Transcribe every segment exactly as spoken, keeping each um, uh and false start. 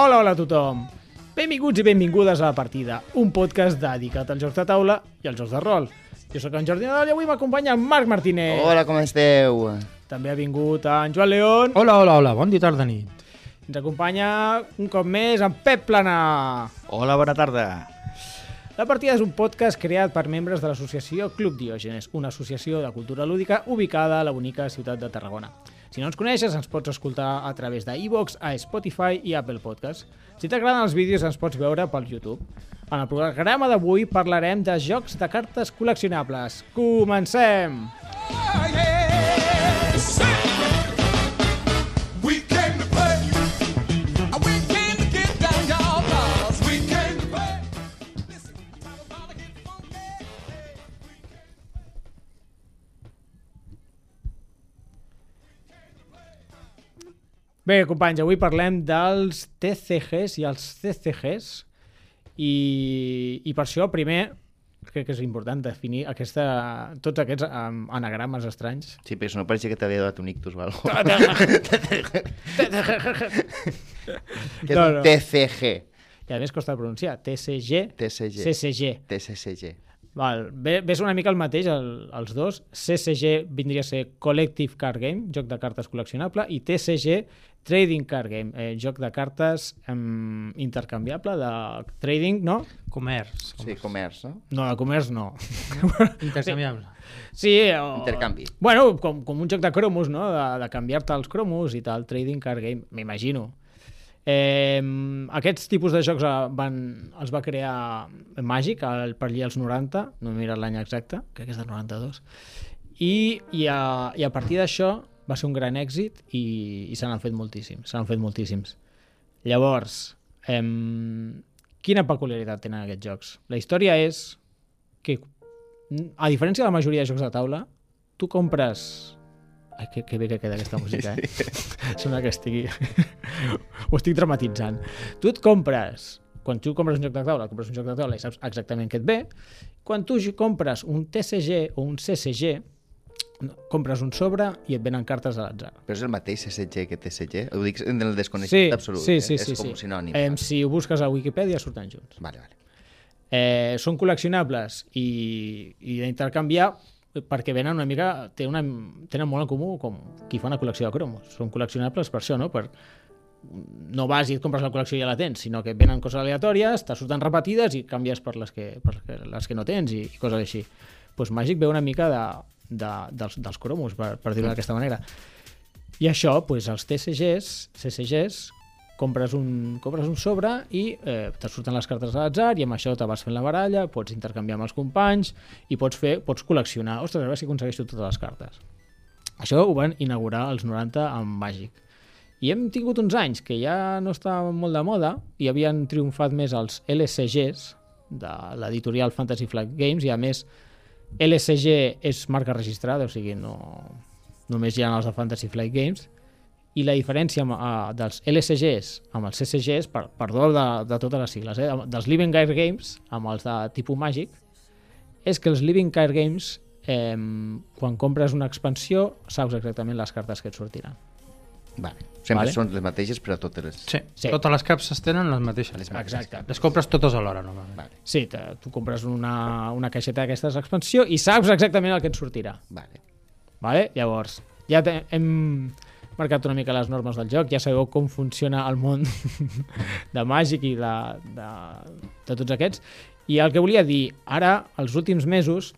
Hola, hola a tothom! Benvinguts i benvingudes a La Partida, un podcast dedicat als jocs de taula i als jocs de rol. Jo sóc en Jordi Nadal i avui m'acompanya en Marc Martínez. Hola, com esteu? També ha vingut en Joan León. Hola, hola, hola, bon dia, tarda, nit. Ens acompanya un cop més en Pep Plana. Hola, bona tarda. La Partida és un podcast creat per membres de l'associació Club Diògenes, una associació de cultura lúdica ubicada a la bonica ciutat de Tarragona. Si no ens coneixes, ens pots escoltar a través de iVoox, a Spotify i Apple Podcast. Si t'agraden els vídeos, ens pots veure pel YouTube. En el programa d'avui parlarem de jocs de cartes col·leccionables. Comencem! Bé, companys, avui parlem dels T C Gs i els C C Gs i, i per això primer crec que és important definir aquesta, tots aquests um, anagrames estranys. Sí, però no pareixia que t'havia donat un ictus o alguna cosa. Que és No, un no. T C G. I a més costa de pronunciar. T C G, T C G. C C G. T C C G. Val, ve, ves una mica el mateix, el, els dos. C C G vindria a ser Collective Card Game, joc de cartes col·leccionable, i T C G, Trading Card Game, eh, joc de cartes eh, intercanviable, de trading, no? Comerç. Sí, comerç, no? No, de comerç no. Intercanviable. Sí, o... Intercanvi. Bueno, com, com un joc de cromos, no? De, de canviar-te els cromos i tal, Trading Card Game, m'imagino. Eh, aquests tipus de jocs van, els va crear Magic el, per allà als noranta, no he mirat l'any exacte, crec que és del noranta-dos, i, i, a, i a partir d'això va ser un gran èxit i, i se n'han fet moltíssims, se n'han fet moltíssims. Llavors, eh, quina peculiaritat tenen aquests jocs? La història és que, a diferència de la majoria de jocs de taula, tu compres... Ai, que, que bé que queda aquesta música, eh? Sembla que estigui... Ho estic dramatitzant. Tu et compres... Quan tu compres un joc de taula, compres un joc de taula i saps exactament què et ve. Quan tu compres un T C G o un C C G, compres un sobre i et venen cartes a l'atzar. Però és el mateix C C G que T C G? Ho dic en el desconeixement Sí, absolut. sí, eh? sí, És sí, com sí. sinònim. Eh, si ho busques a Wikipedia surten junts. Vale, vale. Eh, són col·leccionables i, i d'intercanviar perquè venen una mica, tenen, una, tenen molt en comú com qui fa una col·lecció de cromos. Són col·leccionables per això, no? Per, no vas i et compres la col·lecció i ja la tens, sinó que venen coses aleatòries, te surten repetides i canvies per les que, per les que no tens i, i coses així. Pues Magic ve una mica de, de, dels, dels cromos, per, per dir-ho d'aquesta manera. I això, pues, els T C Gs, C C Gs, compres un, compres un sobre i eh, te surten les cartes a l'atzar i amb això te vas fent la baralla, pots intercanviar amb els companys i pots fer, pots col·leccionar. Ostres, a veure si aconsegueixo totes les cartes. Això ho van inaugurar als noranta amb Magic. I hem tingut uns anys que ja no estava molt de moda i havien triomfat més els L C Gs de l'editorial Fantasy Flight Games i a més L C G és marca registrada, o sigui, no, només hi ha els de Fantasy Flight Games. I la diferència amb, uh, dels L C Gs amb els C C Gs, per, perdó de, de totes les sigles, eh, dels Living Card Games amb els de tipus Magic, és que els Living Card Games, eh, quan compres una expansió, saps exactament les cartes que et sortiran. Vale. Sempre Vale. són les mateixes per a totes les... Sí, Sí. totes les capses tenen les mateixes. Les mateixes. Exacte. Les compres totes alhora, no? Vale, Sí, te, tu compres una, una caixeta d'aquestes expansió i saps exactament el que et sortirà. vale. Vale? Llavors, ja te, hem marcat una mica les normes del joc, ja sabeu com funciona el món de Magic i de, de, de tots aquests. I el que volia dir, ara, els últims mesos,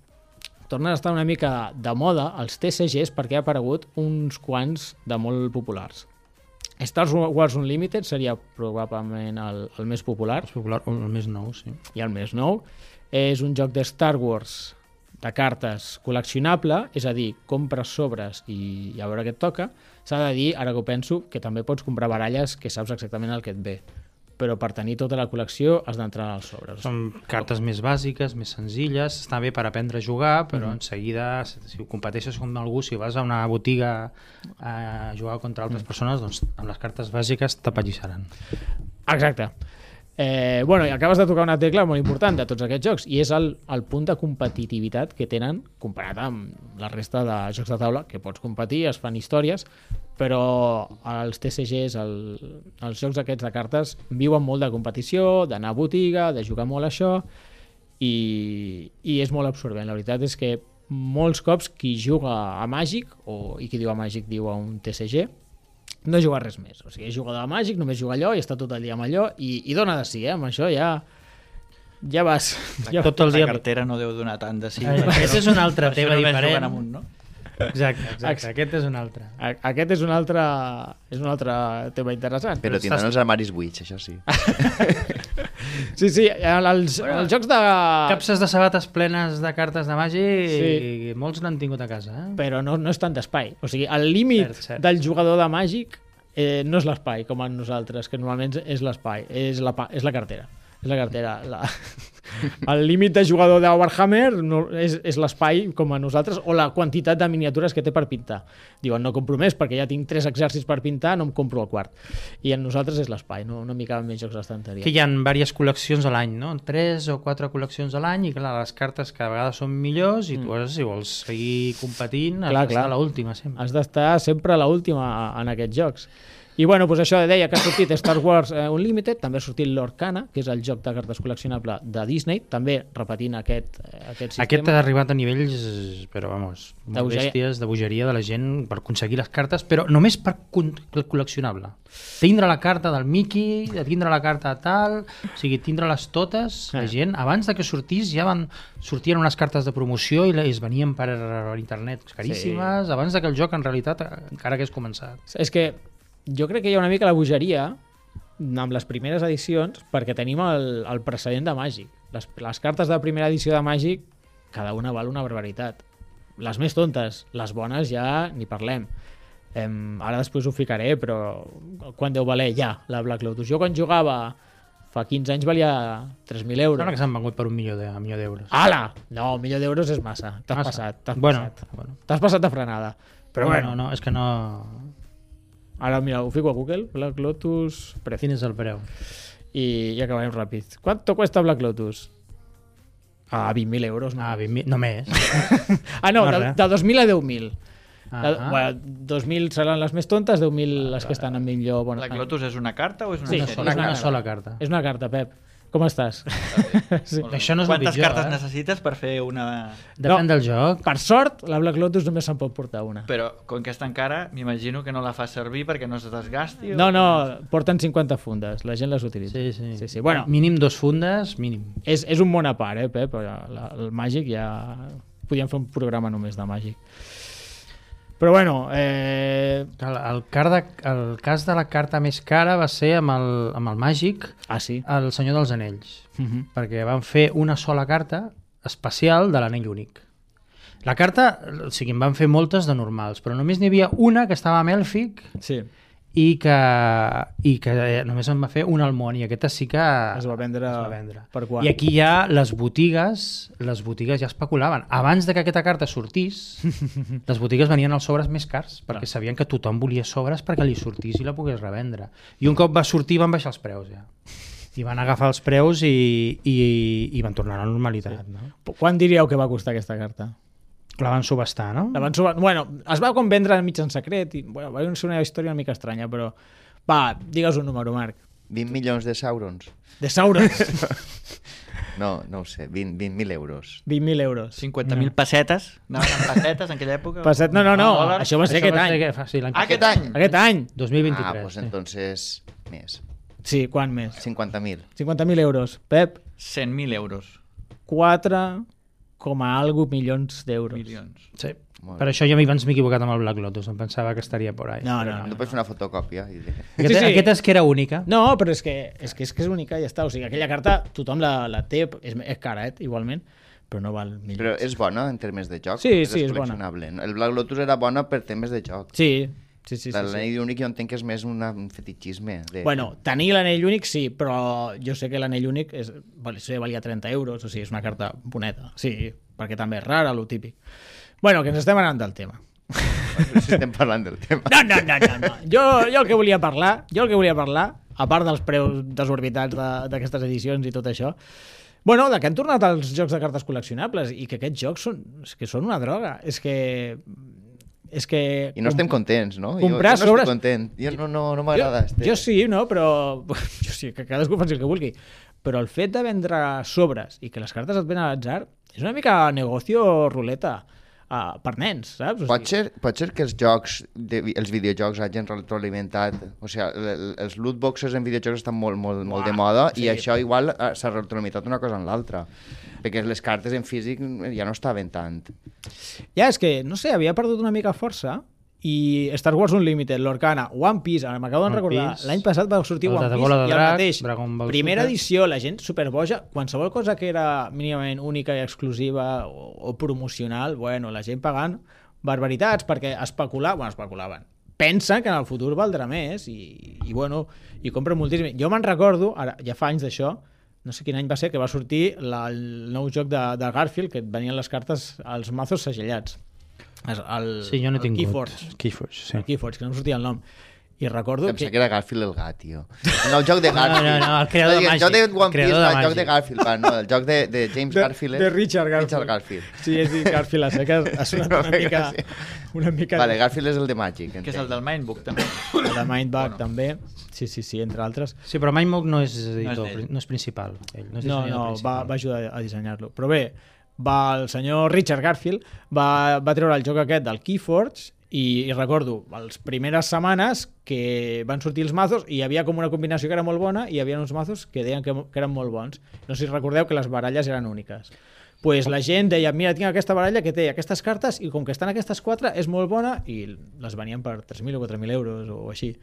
tornen a estar una mica de moda els T C Gs perquè ha aparegut uns quants de molt populars. Star Wars Unlimited seria probablement el, el més popular És popular, el més nou, sí. i el més nou. És un joc de Star Wars de cartes col·leccionable, és a dir, compres sobres i, i a veure què et toca. S'ha de dir, ara que ho penso, que també pots comprar baralles que saps exactament el que et ve. Però per tenir tota la col·lecció has d'entrar als sobres. Són cartes més bàsiques, més senzilles, està bé per aprendre a jugar, però Mhm. en seguida, si ho competeixes amb algú, si vas a una botiga a jugar contra altres persones, doncs amb les cartes bàsiques t'apallissaran. Exacte. Eh, bueno, i acabes de tocar una tecla molt important de tots aquests jocs, i és el, el punt de competitivitat que tenen comparat amb la resta de jocs de taula, que pots competir, es fan històries, però els T C Gs, el, els jocs aquests de cartes, viuen molt de competició, d'anar a botiga, de jugar molt a això, i, i és molt absorbent. La veritat és que molts cops qui juga a Màgic, o, i qui diu a Màgic diu a un T C G, no juga res més, o sigui, és jugador de Màgic, només juga allò i està tot el dia amb allò i, i dona de sí, eh? Amb això ja ja vas... Ja tot el dia... La cartera no deu donar tant de sí. Aquest és un altre tema diferent. Amunt, no? Exacte, exacte, aquest és un altre. Aquest és un altre és un altre tema interessant. Però tindran els armaris buits, això sí. Sí, sí, els, bueno, els jocs de... Capses de sabates plenes de cartes de Màgic, sí. I molts n'han tingut a casa. Eh? Però no, no és tant d'espai. O sigui, el límit cert, cert. del jugador de Màgic eh, no és l'espai, com en nosaltres, que normalment és l'espai, és la, és la cartera. És la cartera. La... El límit de jugador de Warhammer no, és, és l'espai com a nosaltres, o la quantitat de miniatures que té per pintar. Diuen, no compro més perquè ja tinc tres exèrcits per pintar, no em compro el quart. I en nosaltres és l'espai, no, no m'hi caben més jocs d'estanteria. Que hi ha diverses col·leccions a l'any, no? Tres o quatre col·leccions a l'any, i clar, les cartes cada vegada són millors, i tu mm. has, si vols seguir competint has clar, d'estar clar. a l'última sempre. Has d'estar sempre a l'última en aquests jocs. I bueno, doncs això deia que ha sortit Star Wars eh, Unlimited, també ha sortit l'Orcana, que és el joc de cartes col·leccionable de Disney, també repetint aquest, aquest sistema. Aquest ha arribat a nivells, però vamos, molt bèsties, de bogeria de la gent per aconseguir les cartes, però només per col·leccionable. Tindre la carta del Mickey, tindre la carta tal, o sigui, tindre-les totes, la gent, abans de que sortís ja van sortien unes cartes de promoció i es venien per internet caríssimes, sí. Abans de que el joc en realitat encara hagués començat. És que jo crec que hi ha una mica la bogeria amb les primeres edicions perquè tenim el, el precedent de Màgic. Les, les cartes de primera edició de Màgic, cada una val una barbaritat. Les més tontes, les bones ja ni parlem. Eh, ara després ho ficaré, però quan deu valer ja la Black Lotus? Jo quan jugava fa quinze anys valia tres mil euros. Sembla que s'han vengut per un milió de, un milió d'euros. Ala! No, un milió d'euros és massa. T'has massa. passat. T'has bueno, passat. Bueno. T'has passat de frenada. Però bueno, bueno, no, és que no... Ara, mira, ho fico a Google, Black Lotus... Precio. Quin és el preu? I, i acabarem ràpid. ¿Cuánto cuesta Black Lotus? Ah, vint mil euros. No? Ah, vint mil, només. ah, no, no de, de dos mil a deu mil. Ah, de, bueno, dos mil seran les més tontes, deu mil les que estan en millor... Bueno, Black Lotus és una carta o és una sí, sèrie? Sí, és una, una sola carta. És una carta, Pep. Com estàs? Sí. Això no és Quantes pitjor, cartes eh? necessites per fer una... Depèn no, del joc. Per sort, la Black Lotus només se'n pot portar una. Però, com que és tan cara, m'imagino que no la fa servir perquè no se desgasti? O... No, no, porten cinquanta fundes. La gent les utilitza. Sí, sí. sí, sí. Bueno, mínim dos fundes, mínim. És, és un món a part, eh, Pep? La, el Màgic ja... Podríem fer un programa només de Màgic. Però bueno... Eh... El, el, car de, el cas de la carta més cara va ser amb el, amb el Màgic, ah, sí? el Senyor dels Anells, uh -huh. perquè van fer una sola carta especial de l'anell únic. La carta, o sigui, en van fer moltes de normals, però només n'hi havia una que estava amb Èlfic, sí. i que, i que només en va fer un al món, i aquesta sí que es va vendre, es va vendre. Per quart. I aquí ja les botigues les botigues ja especulaven. Abans de que aquesta carta sortís, les botigues venien als sobres més cars, perquè clar. Sabien que tothom volia sobres perquè li sortís i la pogués revendre. I un cop va sortir van baixar els preus ja. I van agafar els preus i, i, i van tornar a la normalitat. Sí. No? Quan diríeu que va costar aquesta carta? La van subestar, no? La van subestar. Bueno, es va com vendre mig en secret i bueno, va ser una història una mica estranya, però va, digues un número, Marc. vint milions de saurons. De saurons? No, no ho sé, vint mil euros. vint mil euros. cinquanta mil no. pessetes? Anaven amb pessetes en aquella època? Pesset, no, no, no, no. Això va ser això aquest va any. Ser que, sí, ah, aquest any? Aquest any. dos mil vint-i-tres. Ah, doncs pues entonces més. Sí, quant més? cinquanta mil. cinquanta mil euros. Pep? cent mil euros. quatre coma algo milions d'euros. Milions. Sí. Per això jo abans m'he equivocat amb el Black Lotus, em pensava que estaria por ahí. No, no, no. No, no pots fer una fotocòpia. I... Aquest, sí, sí. Aquesta és que era única. No, però és que és, que és, que és única i ja està. O sigui, aquella carta tothom la, la té, és, és cara, eh, igualment, però no val milions. Però és bona en termes de joc? Sí, és sí, és bona. El Black Lotus era bona per temes de joc. Sí, sí, sí. sí, l'anell sí. únic jo entenc que és més una, un fetichisme. De... Bueno, tenir l'anell únic sí, però jo sé que l'anell únic és, sí, valia trenta euros, o sigui, és una carta boneta. Sí, perquè també és rara, lo típic. Bueno, que ens estem anant del tema. Si estem parlant del tema. No, no, no, no, no. Jo, jo el que volia parlar, jo el que volia parlar a part dels preus desorbitats de, d'aquestes edicions i tot això. Bueno, de que han tornat els jocs de cartes col·leccionables i que aquests jocs són, és que són una droga. És que... És que I no estem contents, no? Comprar jo, jo no sobres... estic content. Jo no, no, no m'agrada. Jo, jo sí, no? Però... Jo sí, que cadascú faci el que vulgui. Però el fet de vendre sobres i que les cartes et venen a l'atzar és una mica negocio ruleta uh, per nens, saps? O Pot sigui... ser, pot ser que els jocs, de, els videojocs hagin retroalimentat, o sigui, els loot boxes en videojocs estan molt, molt, molt Uah, de moda sí. i això igual uh, s'ha retroalimentat una cosa en l'altra, perquè les cartes en físic ja no estaven tant. Ja, és que, no sé, havia perdut una mica força i Star Wars Unlimited, l'Orcana, One Piece, ara m'acabo de recordar, l'any passat va sortir One Piece i el mateix, primera edició, la gent superboja, qualsevol cosa que era mínimament única i exclusiva o, o promocional, bueno, la gent pagant barbaritats perquè especular, bueno, especulaven. Pensen que en el futur valdrà més i, i bueno, i compren moltíssim. Jo me'n recordo, ara ja fa anys d'això, no sé quin any va ser, que va sortir la, el nou joc de, de Garfield, que et venien les cartes, els mazos segellats. El, sí, jo no he tingut. Keyforge. Keyforge, sí. El Keyforge, que no em sortia el nom. I recordo Pensava que... que era Garfield el gat, tio. No, el joc de Garfield. No, no, no, el creador de el Màgic. El joc de One Piece, de el joc de Garfield, va, no, el joc de, de James de, Garfield. De Richard Garfield. Richard Garfield. Sí, és dir, Garfield a seques ha sonat una mica... Una mica... Vale, Garfield és el de Màgic. Que és el del Mindbook, també. El de Mindbug, Bueno. també. Sí, sí, sí, entre altres. Sí, però Mindbook no és editor, No és no és principal. Ell, no, és No, dissenyador no, va, principal. va ajudar a dissenyar-lo. Però bé, va, el senyor Richard Garfield va, va treure el joc aquest del Keyforge i, i recordo les primeres setmanes que van sortir els mazos i hi havia com una combinació que era molt bona i hi havia uns mazos que deien que, que eren molt bons. No sé si recordeu que les baralles eren úniques. Pues la gent deia, mira, tinc aquesta baralla que té aquestes cartes i com que estan aquestes quatre és molt bona i les venien per tres mil o quatre mil euros o així.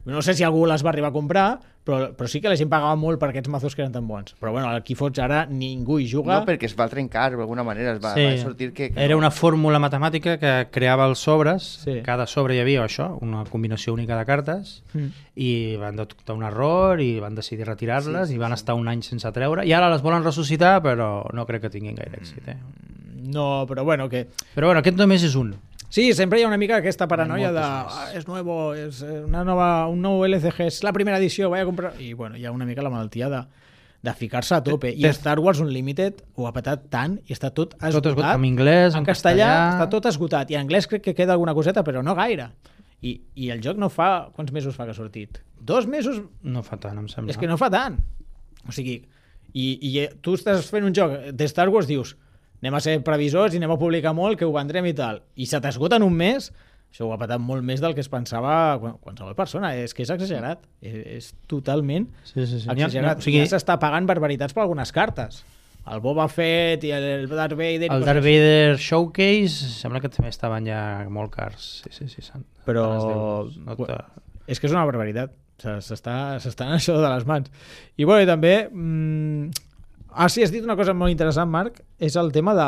No sé si algú les va arribar a comprar, però, però sí que la gent pagava molt per aquests mazos que eren tan bons. Però bueno, al Keyforge ara ningú hi juga. No, perquè es va trencar d'alguna manera, es va, Sí. va sortir que... que Era no. una fórmula matemàtica que creava els sobres, Sí. cada sobre hi havia això, una combinació única de cartes, Mm. i van detectar un error i van decidir retirar-les Sí, sí, i van sí. estar un any sense treure, i ara les volen ressuscitar, però no crec que tinguin gaire èxit. Eh? No, però bueno, que... Però bueno, aquest només és un. Sí, sempre hi ha una mica aquesta paranoia de moltes ah, és nuevo, és una nova, un nou L C G, és la primera edició, vaig a comprar... I bueno, hi ha una mica la malaltia de, de ficar-se a tope. I Star Wars Unlimited ho ha patat tant i està tot esgotat. Tot esgotat, en anglès, en en castellà, castellà... està tot esgotat. I en anglès crec que queda alguna coseta, però no gaire. I, i el joc no fa... Quants mesos fa que ha sortit? Dos mesos? No fa tant, em sembla. És que no fa tant. O sigui, i, i tu estàs fent un joc de Star Wars, dius anem a ser previsors i anem a publicar molt, que ho vendrem i tal. I se t'esgota en un mes, això ho ha patat molt més del que es pensava qualsevol persona. És que és exagerat. És, és totalment Sí, sí, sí. exagerat. O sigui, ja s'està pagant barbaritats per algunes cartes. El Boba Fett i el Darth Vader... el Darth Vader Showcase sembla que també estaven ja molt cars. Sí, sí, sí. Sant... Però No te... és que és una barbaritat. S'està s'està en això de les mans. I bueno, i també... Mmm... Ah, sí, has dit una cosa molt interessant, Marc, és el tema de,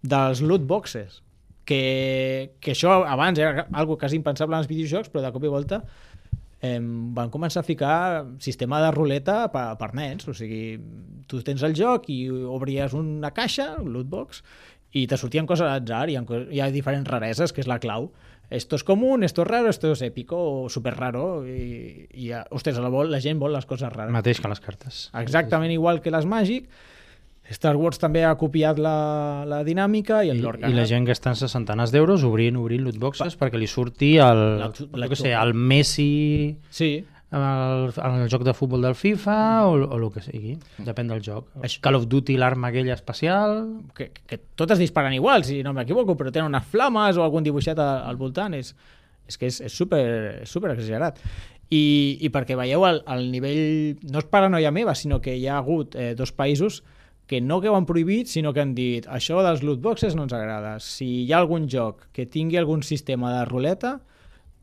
dels loot boxes. Que, que això abans era algo quasi impensable en els videojocs, però de cop i volta eh, van començar a ficar sistema de ruleta per, per nens. O sigui, tu tens el joc i obries una caixa, un loot box, i te sortien coses a l'atzar, hi ha, hi ha diferents rareses, que és la clau. Esto es común, esto es raro, esto es épico o super raro i, i ostres, la, vol, la gent vol les coses rares. Mateix que les cartes. Exactament igual que les Magic. Star Wars també ha copiat la, la dinàmica i el I, l'Organa. I la gent gastant centenars d'euros obrint, obrint lootboxes pa perquè li surti el, La- la- jo què sé, el Messi Sí, el, el joc de futbol del FIFA o, o el que sigui, depèn del joc. Això- Call of Duty, l'arma aquella especial... que, que totes disparen igual, si no m'equivoco, però tenen unes flames o algun dibuixet al, al voltant. És, és que és, és, super, és super exagerat. I, i perquè veieu el, el nivell... No és paranoia meva, sinó que hi ha hagut eh, dos països que no que ho han prohibit, sinó que han dit això dels loot boxes no ens agrada. Si hi ha algun joc que tingui algun sistema de ruleta,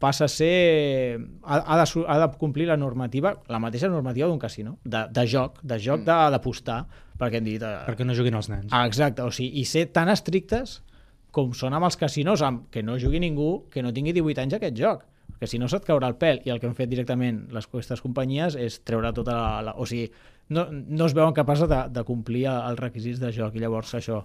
passa a ser... Ha, ha, de, su- ha de complir la normativa, la mateixa normativa d'un casino, de, de joc, de joc de- d'apostar, perquè han dit... Eh, perquè no juguin els nens. Ah, exacte, o sigui, i ser tan estrictes com són amb els casinos, amb que no jugui ningú que no tingui divuit anys aquest joc, perquè si no se't caurà el pèl, i el que han fet directament les aquestes companyies és treure tota la... la o sigui, no, no es veuen capaços de, de complir els requisits de joc, i llavors això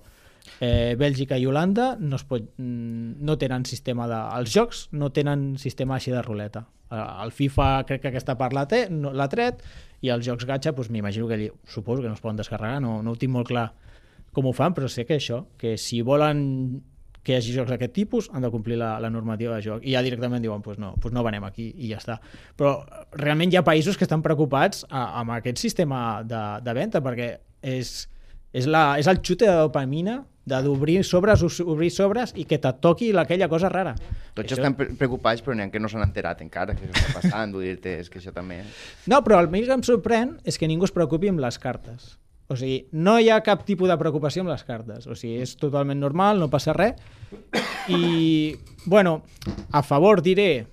Eh, Bèlgica i Holanda no, es pot, no tenen sistema de... Els jocs no tenen sistema així de ruleta. El FIFA crec que aquesta part l'ha no, tret, i els jocs gatxa, doncs, m'imagino que allí, suposo que no es poden descarregar, no, no ho tinc molt clar com ho fan, però sé que això, que si volen que hi hagi jocs d'aquest tipus, han de complir la, la normativa de joc. I ja directament diuen, doncs no, doncs no venem aquí i ja està. Però realment hi ha països que estan preocupats a, amb aquest sistema de, de venda, perquè és, és, la, és el xute de dopamina d'obrir sobres, obrir sobres i que te toqui aquella cosa rara. Tots això... estan preocupats, però n'hi ha que no s'han enterat encara que això està passant, vull dir-te, és que això també... No, però el més que em sorprèn és que ningú es preocupi amb les cartes. O sigui, no hi ha cap tipus de preocupació amb les cartes. O sigui, és totalment normal, no passa res. I, bueno, a favor diré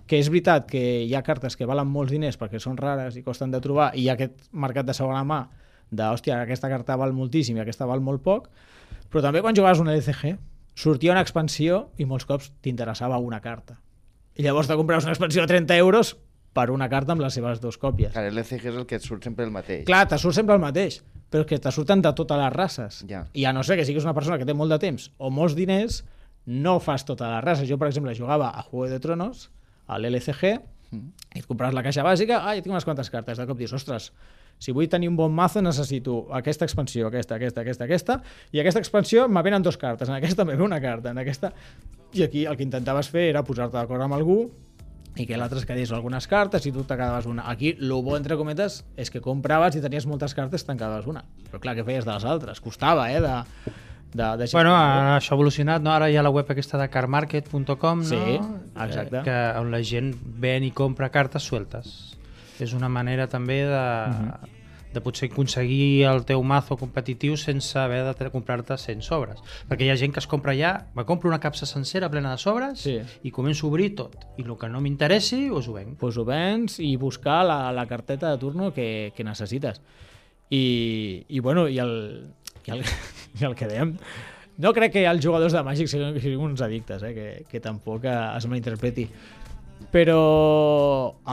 que és veritat que hi ha cartes que valen molts diners perquè són rares i costen de trobar, i hi ha aquest mercat de segona mà de, hòstia, aquesta carta val moltíssim i aquesta val molt poc, però també quan jugaves un L C G sortia una expansió i molts cops t'interessava una carta. I llavors te compraves una expansió de trenta euros per una carta amb les seves dues còpies. Clar, l'L C G és el que et surt sempre el mateix. Clar, te surt sempre el mateix, però que te surten de totes les races. Ja. I a no ser que siguis una persona que té molt de temps o molts diners, no fas totes les races. Jo, per exemple, jugava a Juego de Tronos, a l'L C G, mm. i et compraves la caixa bàsica, ah, ja tinc unes quantes cartes, de cop dius, ostres, si vull tenir un bon mazo necessito aquesta expansió, aquesta, aquesta, aquesta, aquesta, i aquesta expansió me venen dues cartes, en aquesta me ve una carta, en aquesta... I aquí el que intentaves fer era posar-te d'acord amb algú i que l'altre es quedés algunes cartes i tu te quedaves una. Aquí, el bo, entre cometes, és que compraves i tenies moltes cartes i te'n quedaves una. Però clar, què feies de les altres? Costava, eh, de... De, de bueno, això ha evolucionat, no? Ara hi ha la web aquesta de car market punt com, no? Sí, exacte. Eh, que, on la gent ven i compra cartes sueltes. És una manera també de, uh-huh. de potser aconseguir el teu mazo competitiu sense haver de comprar-te cent sobres. Perquè hi ha gent que es compra ja, me compro una capsa sencera plena de sobres, sí, i començo a obrir tot. I el que no m'interessi, us ho venc. Pues ho vens i buscar la, la carteta de turno que, que necessites. I, i bueno, i el... I el, i el que dèiem, no crec que els jugadors de Magic siguin, siguin uns addictes, eh? que, que tampoc es malinterpreti, però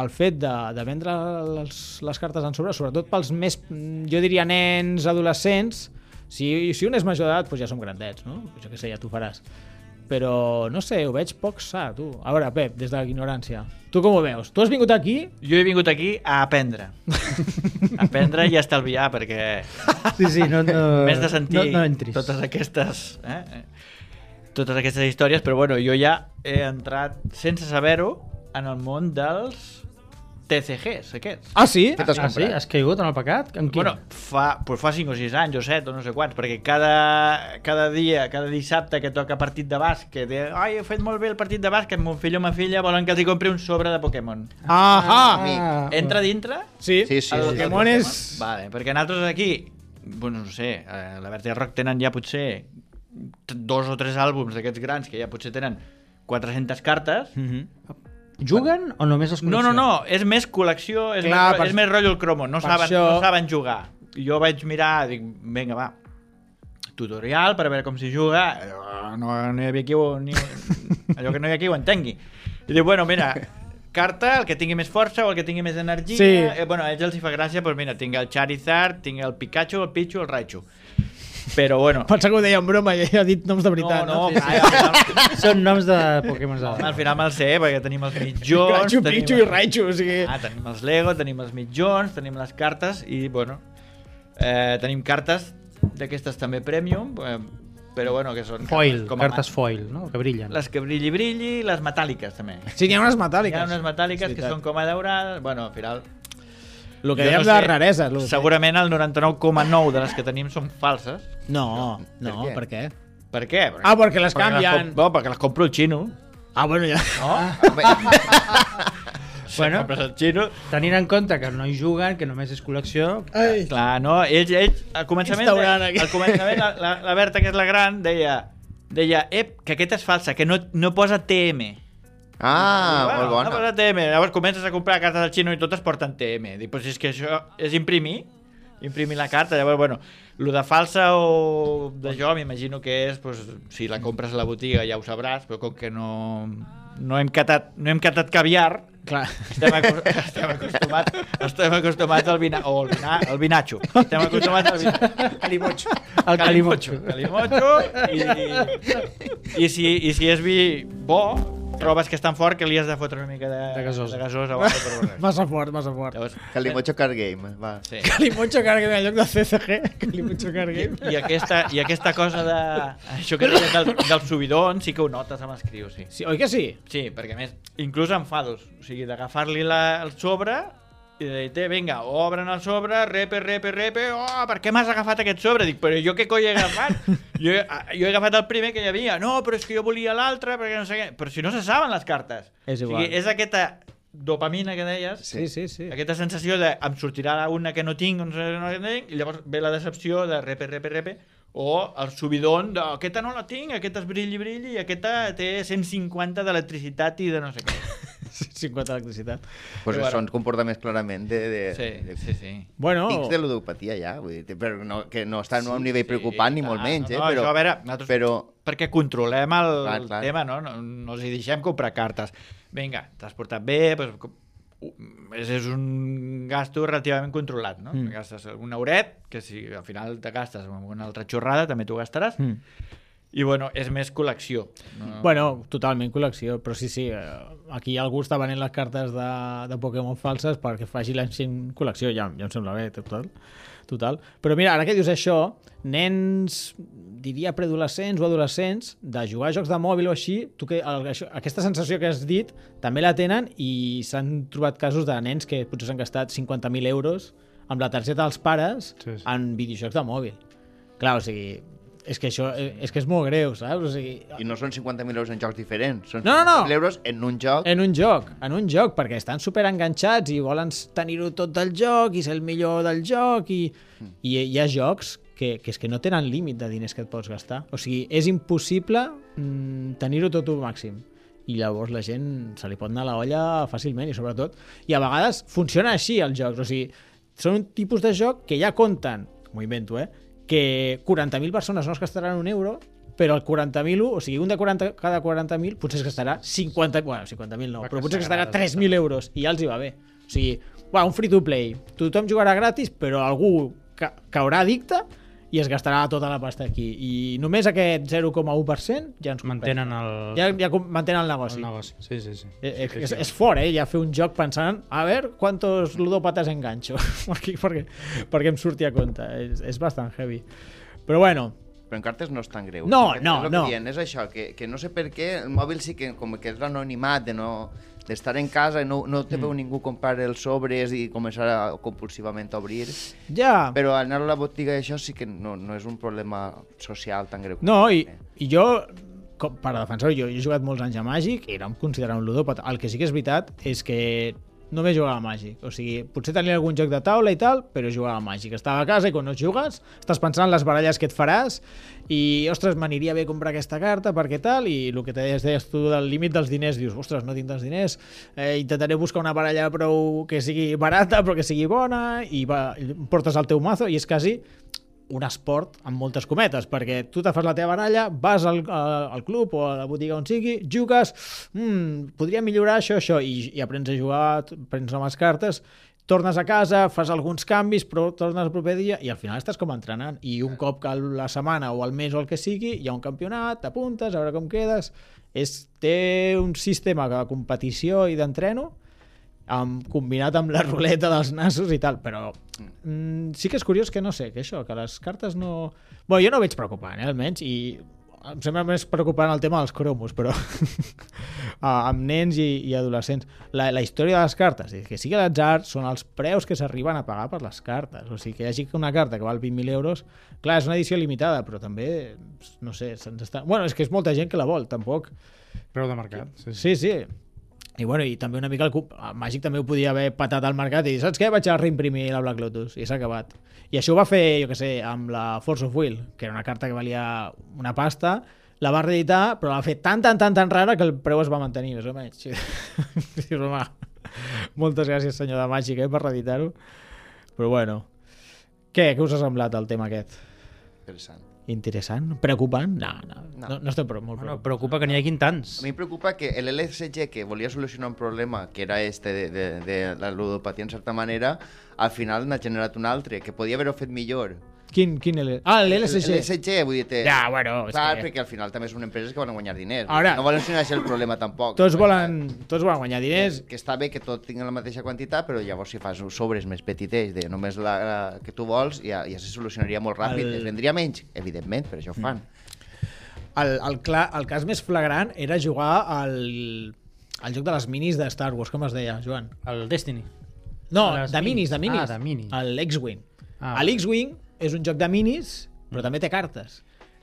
el fet de, de vendre les, les cartes en sobre, sobretot pels més, jo diria, nens, adolescents, si, si un és major d'edat, doncs ja som grandets, no? Jo què sé, ja t'ho faràs. Però, no sé, ho veig poc sa, tu. A veure, Pep, des de l'ignorància, tu com ho veus? Tu has vingut aquí? Jo he vingut aquí a aprendre. A aprendre i a estalviar, perquè... Sí, sí, no, no, m'has de sentir no, no totes aquestes... Eh? Totes aquestes històries, però bueno, jo ja he entrat, sense saber-ho, en el món dels T C Gs, aquests. Ah, sí? Ah, ah sí? Has caigut en el pecat? En bueno, fa, pues fa cinc o sis anys o set o no sé quants, perquè cada, cada dia, cada dissabte que toca partit de bàsquet, de, ai, he fet molt bé el partit de bàsquet, mon fill o ma filla volen que els hi compri un sobre de Pokémon. Ah, ah, entra dintre? Sí, sí, sí, el sí, Pokémon sí, és... Vale, perquè nosaltres aquí, bueno, no sé, a la Vertical Rock tenen ja potser dos o tres àlbums d'aquests grans que ja potser tenen quatre-centes cartes. Mm-hmm. Juguen o només els col·leccionen? No, no, no, és més col·lecció, és, Clar, més, per... és més rotllo el cromo, no saben, això... no saben jugar. Jo vaig mirar, dic, vinga, va, tutorial per veure com s'hi juga, no, no hi havia qui ho, ni, allò que no hi ha qui ho entengui. I dic, bueno, mira, carta, el que tingui més força o el que tingui més energia, sí. eh, bueno, a ells els hi fa gràcia, doncs mira, tinc el Charizard, tinc el Pikachu, el Pichu, el Raichu. Però bueno... Pensa que ho deia en broma i ha dit noms de veritat, no? No, no? sí, sí. Al final... Són noms de Pokémon. No, al final me'l sé, perquè tenim els mitjons... Raichu, tenim... Pichu i Raichu, o sigui... Ah, tenim els Lego, tenim els mitjons, tenim les cartes i, bueno... Eh, tenim cartes d'aquestes també premium, eh, però, bueno, que són... Foil, com cartes foil, no? Que brillen. Les que brilli, brilli, les metàl·liques, també. Sí, n'hi ha unes metàl·liques. Hi ha unes metàl·liques que són com a daurades... Bueno, al final... El que dèiem no de raresa. Segurament el noranta-nou coma nou de les que tenim són falses. No, no, no, per què? Per què? Perquè, ah, perquè les perquè canvien. Les no, perquè les compro el xino. Ah, bueno, ja. No? Bueno, el xino. Tenint en compte que no hi juguen, que només és col·lecció... Ai. Clar, no, ells, ells al començament, de, al començament la, la, la Berta, que és la gran, deia, deia ep, que aquesta és falsa, que no, no posa T M. Ah, bueno, molt bona. No posa T M. Llavors comences a comprar cartes del xino i totes porten T M. Dic, però si és que això és imprimir, imprimir la carta. Llavors, bueno, el de falsa o de jo m'imagino que és, pues, si la compres a la botiga ja ho sabràs, però com que no, no hem catat, no hem catat caviar, Clar. Estem, acu estem acostumats estem acostumats al vina o el, vina el vinatxo. Estem acostumats al vinatxo. Calimocho. El calimocho. Calimocho. I, i, si, I si és vi bo, trobes que és tan fort que li has de fotre una mica de, de gasós. De gasós abans de provar res. Massa fort, massa fort. Llavors, Calimocho Card Game, va. Sí. Calimocho Card Game en lloc de C C G. Calimocho Card I, Game. i, aquesta, I aquesta cosa de... Això que deies del, del subidon sí que ho notes amb els crios, sí. Sí, oi que sí? Sí, perquè a més, inclús enfados. O sigui, d'agafar-li el sobre i de dir, vinga, obren el sobre, repe, repe, repe, oh, per què m'has agafat aquest sobre? Dic, però jo què coi he agafat? jo, he, jo he agafat el primer que hi havia. No, però és que jo volia l'altre, perquè no sé què. Però si no se saben les cartes. És igual. O sigui, és aquesta dopamina que deies, Sí, sí, sí. aquesta sensació de em sortirà una que no tinc, no sé, no tinc, i llavors ve la decepció de repe, repe, repe, o el subidon de aquesta no la tinc, aquesta és brilli, brilli, i aquesta té cent cinquanta d'electricitat i de no sé què. cinquanta d'electricitat. Pues Però són comportaments clarament de... de, Sí, de sí, sí. Bueno, tics de ludopatia ja, vull dir, però no, que no està sí, a un nivell preocupant sí, ni molt clar, menys, eh? no, Però, això, a veure, nosaltres, però perquè controlem el, Clar, el clar. tema, no? No, no els hi deixem comprar cartes. Vinga, t'has portat bé, doncs, és, és un gasto relativament controlat, no? Mm. Gastes un euret, que si al final te gastes amb una altra xorrada, també t'ho gastaràs, Mm. i bueno, és més col·lecció. No? Bueno, totalment col·lecció, però sí, sí, eh, aquí algú està venent les cartes de, de Pokémon falses perquè faci l'encient col·lecció, ja, ja em sembla bé, total, total. Però mira, ara que dius això, nens, diria preadolescents o adolescents, de jugar a jocs de mòbil o així, tu que, el, això, aquesta sensació que has dit també la tenen i s'han trobat casos de nens que potser s'han gastat cinquanta mil euros amb la targeta dels pares Sí, sí. en videojocs de mòbil. Clar, o sigui, és que això és que és molt greu, saps? O sigui, i no són cinquanta mil euros en jocs diferents, són No, no, no. cinquanta mil euros en un joc. en un joc, en un joc, perquè estan super enganxats i volen tenir-ho tot del joc i ser el millor del joc i, i hi ha jocs que, que és que no tenen límit de diners que et pots gastar. O sigui, és impossible mm, tenir-ho tot al màxim. I llavors la gent se li pot anar a la olla fàcilment i sobretot, i a vegades funciona així els jocs, o sigui, són un tipus de joc que ja compten, m'ho invento, eh, que quaranta mil persones no es gastaran un euro, però el quaranta mil, o sigui, un de quaranta, cada quaranta mil potser es gastarà cinquanta, bueno, cinquanta mil no, però potser es gastarà tres mil euros i ja els hi va bé. O sigui, bueno, un free to play, tothom jugarà gratis, però algú ca caurà addicte i es gastarà tota la pasta aquí. I només aquest zero coma u per cent ja ens Mantenen el, ja, ja mantenen el negoci. el negoci. Sí, sí, sí. Eh, eh, és, és fort, eh? Ja fer un joc pensant a veure quantos ludòpates enganxo perquè, perquè, perquè em surti a compte. És, és bastant heavy. Però bueno, Però en cartes no és tan greu. No, És no, el que no. Dient, és això, que, que no sé per què el mòbil sí que com que és l'anonimat de no d'estar en casa i no, no te veu mm. ningú comprar els sobres i començar a, compulsivament a obrir, ja... però anar a la botiga i això sí que no, no és un problema social tan greu. No, i, i jo, com, per defensar-ho, jo, jo he jugat molts anys a Màgic i era considerat un ludòpata. El que sí que és veritat és que només jugava a Màgic. O sigui, potser tenia algun joc de taula i tal, però jugava a Màgic. Estava a casa i quan no jugues estàs pensant en les baralles que et faràs i, ostres, m'aniria bé comprar aquesta carta perquè tal, i el que te deies, deies tu del límit dels diners, dius, ostres, no tinc tants diners, eh, intentaré buscar una baralla prou que sigui barata però que sigui bona, i va, portes el teu mazo i és quasi un esport amb moltes cometes, perquè tu te fas la teva baralla, vas al, al club o a la botiga on sigui, jugues, mmm, podria millorar això, això, i, i aprens a jugar, aprens amb les cartes, tornes a casa, fas alguns canvis, però tornes el proper dia i al final estàs com entrenant. I un cop que la setmana o el mes o el que sigui, hi ha un campionat, t'apuntes, a veure com quedes. És, té un sistema de competició i d'entreno amb, combinat amb la ruleta dels nassos i tal, però mm, sí que és curiós que no sé, que això, que les cartes no... Bueno, jo no veig preocupant, eh, almenys, i em sembla més preocupant el tema dels cromos, però amb nens i, i adolescents. La, la història de les cartes, que sigui l'atzar, són els preus que s'arriben a pagar per les cartes. O sigui, que hi hagi una carta que val vint mil euros, clar, és una edició limitada, però també, no sé, se'ns està... Bueno, és que és molta gent que la vol, tampoc. Preu de mercat. Sí, Sí, sí. sí. I bueno, i també una mica el, el Màgic també ho podia haver patat al mercat i dir, saps què? Vaig a reimprimir la Black Lotus i s'ha acabat. I això ho va fer, jo què sé, amb la Force of Will, que era una carta que valia una pasta, la va reeditar, però la va fer tan, tan, tan, tan rara que el preu es va mantenir, més o menys. Dius, home, moltes gràcies, senyor de Màgic, eh, per reeditar-ho. Però bueno, què? Què us ha semblat el tema aquest? Interessant. interessant, preocupant? No, no, no, no estem molt preocupats. No, preocupa que n'hi hagi tants. A mi em preocupa que l'L S G, que volia solucionar un problema, que era este de, de, de la ludopatia en certa manera, al final n'ha generat un altre, que podia haver-ho fet millor. Quin, quin L... Ah, l'L S G. L'L S G, vull dir... Ja, bueno... Clar, que... perquè al final també són empreses que volen guanyar diners. Ara, no volen solucionar el problema tampoc. Tots volen, tots volen guanyar diners. Que, que està bé que tot tingui la mateixa quantitat, però llavors si fas sobres més petitets de només la, la que tu vols, ja, ja se solucionaria molt ràpid. El... Es vendria menys, evidentment, per això ho fan. El, el, clar, el cas més flagrant era jugar al, al joc de les minis de Star Wars, com es deia, Joan? El Destiny. No, de minis, de minis. Ah, de minis. L'X-Wing. Ah, L'X-Wing és un joc de minis, però també té cartes.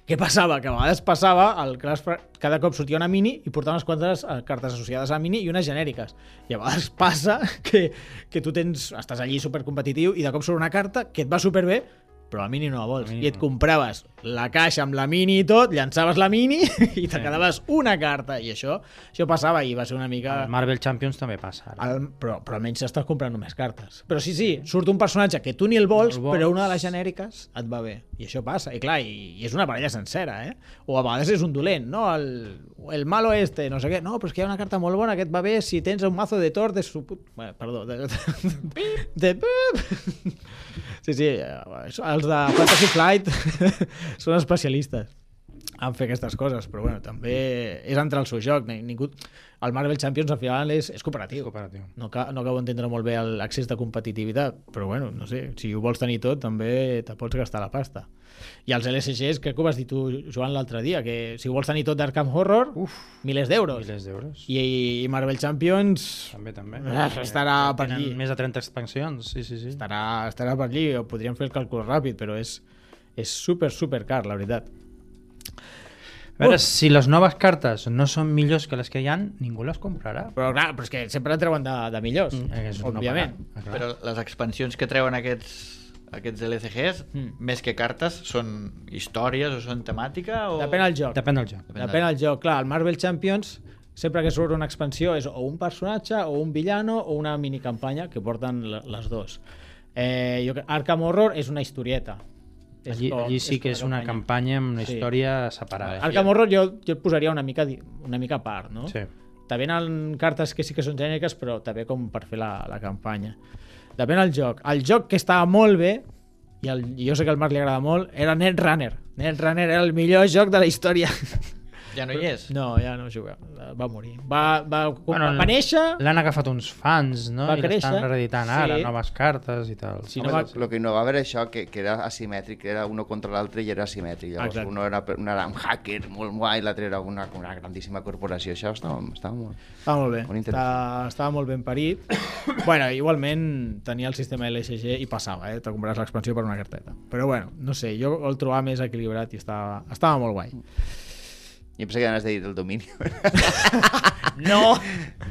Què passava? Que a vegades passava, el Crash, cada cop sortia una mini i portava unes quantes cartes associades a mini i unes genèriques. I a vegades passa que, que tu tens, estàs allí supercompetitiu i de cop surt una carta que et va superbé, però la mini no la vols. I et compraves la caixa amb la mini i tot, llançaves la mini i te quedaves una carta. I això, això passava i va ser una mica... El Marvel Champions també passa. El, però, però almenys estàs comprant només cartes. Però sí, sí, surt un personatge que tu ni el vols, el vols, però una de les genèriques et va bé. I això passa. I clar, i, i és una parella sencera, eh? O a vegades és un dolent, no? El, el malo este, no sé què. No, però és que hi ha una carta molt bona que et va bé si tens un mazo de Thor de su... Bueno, perdó. De... de... de... Sí, sí, els de Fantasy Flight són especialistes en fer aquestes coses, però bueno, també és entrar al seu joc. Ningú... El Marvel Champions al final és, és cooperatiu. És cooperatiu. No, ca... no acabo d'entendre molt bé l'accés de competitivitat, però bueno, no sé, si ho vols tenir tot també te pots gastar la pasta. I els L S Gs, crec que ho vas dir tu, Joan, l'altre dia, que si vols tenir tot d'Arkham Horror, uf, milers d'euros. Milers d'euros. I, I Marvel Champions... També, també. Eh, estarà eh, per allí. Més de trenta expansions, sí, sí, sí. Estarà, estarà per allí, o podríem fer el càlcul ràpid, però és, és super, super car, la veritat. A veure, uh. si les noves cartes no són millors que les que hi ha, ningú les comprarà. Però clar, però és que sempre en treuen de, de millors, mm, òbviament. No, però les expansions que treuen aquests... aquests L C Gs, mm. més que cartes, són històries o són temàtica? O... Depèn del joc. Depèn del joc. Depèn, Depèn del joc. Clar, el Marvel Champions, sempre que surt una expansió, és o un personatge, o un villano, o una minicampanya, que porten les dos. Eh, jo, Arkham Horror és una historieta. Allí, com, allí sí és que és una campanya amb una sí. història separada. Arkham Horror jo, jo et posaria una mica, una mica a part, no? Sí. També venen cartes que sí que són genèriques, però també com per fer la, la campanya. Depèn del joc. El joc que estava molt bé, i, el, i jo sé que al Marc li agrada molt, era Netrunner. Netrunner era el millor joc de la història. Ja no hi és? No, ja no juga. Va morir. Va, va, bueno, va néixer... L'han agafat uns fans, no? Va I créixer. l'estan reeditant ara, sí. noves cartes i tal. Sí, no, no va... va... Lo que no va haver això, que, que era asimètric, era uno contra l'altre i era asimètric. Llavors, Exacte. uno era, uno era un hacker molt guai, l'altre era una, una grandíssima corporació. Això estava, estava molt... Estava molt bé. Molt estava, estava molt ben parit. Bueno, igualment tenia el sistema L S G i passava, eh? Te compraràs l'expansió per una carteta. Però bueno, no sé, jo el trobava més equilibrat i estava, estava molt guai. Jo pensé que anaves de dir el domini. No!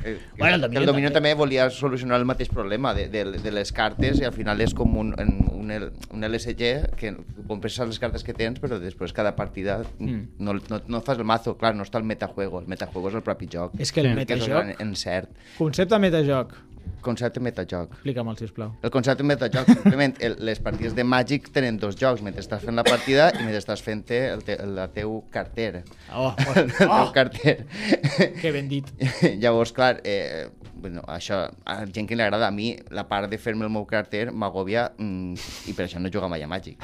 Eh, bueno, el domini, el domini també. també volia solucionar el mateix problema de, de, de les cartes i al final és com un, un, un L S G que compres les cartes que tens però després cada partida mm. no, no, no fas el mazo, clar, no està el metajuego, el metajuego és el propi joc. És que el metajoc... Que és encert. Concepte metajoc. Concepte metajoc. Explica'm-el, sisplau. El concepte metajoc, simplement, el, les partides de Magic tenen dos jocs, mentre estàs fent la partida i mentre estàs fent el, te, el, el teu carter. Oh, oh, el teu oh. carter. Que ben dit. Llavors, clar, eh, bueno, això, a gent que li agrada, a mi, la part de fer-me el meu carter m'agòbia mm, i per això no jugo mai a Magic.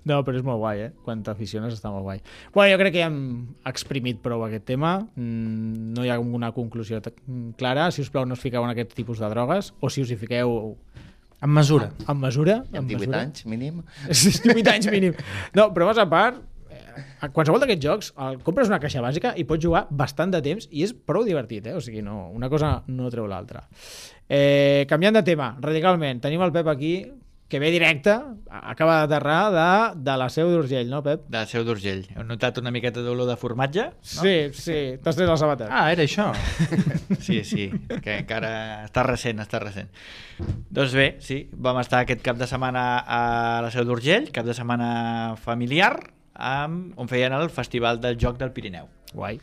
No, però és molt guai, eh? Quan t'aficiones està molt guai. Bueno, jo crec que ja hem exprimit prou aquest tema. Mm, no hi ha una conclusió clara. Si us plau, no us fiqueu en aquest tipus de drogues, o si us hi fiqueu... En mesura. En mesura. En divuit anys, mínim. divuit anys, mínim. No, però vas a part, a qualsevol d'aquests jocs, el, compres una caixa bàsica i pots jugar bastant de temps i és prou divertit, eh? O sigui, no, una cosa no treu l'altra. Eh, canviant de tema, radicalment, tenim el Pep aquí, que ve directe, acaba d'aterrar de, de la Seu d'Urgell, no, Pep? De la Seu d'Urgell. Heu notat una miqueta d'olor de formatge? No? Sí, sí, t'has tret la sabata. Ah, era això. Sí, sí, que encara està recent, està recent. Doncs bé, sí, vam estar aquest cap de setmana a la Seu d'Urgell, cap de setmana familiar, amb, on feien el Festival del Joc del Pirineu. Guai.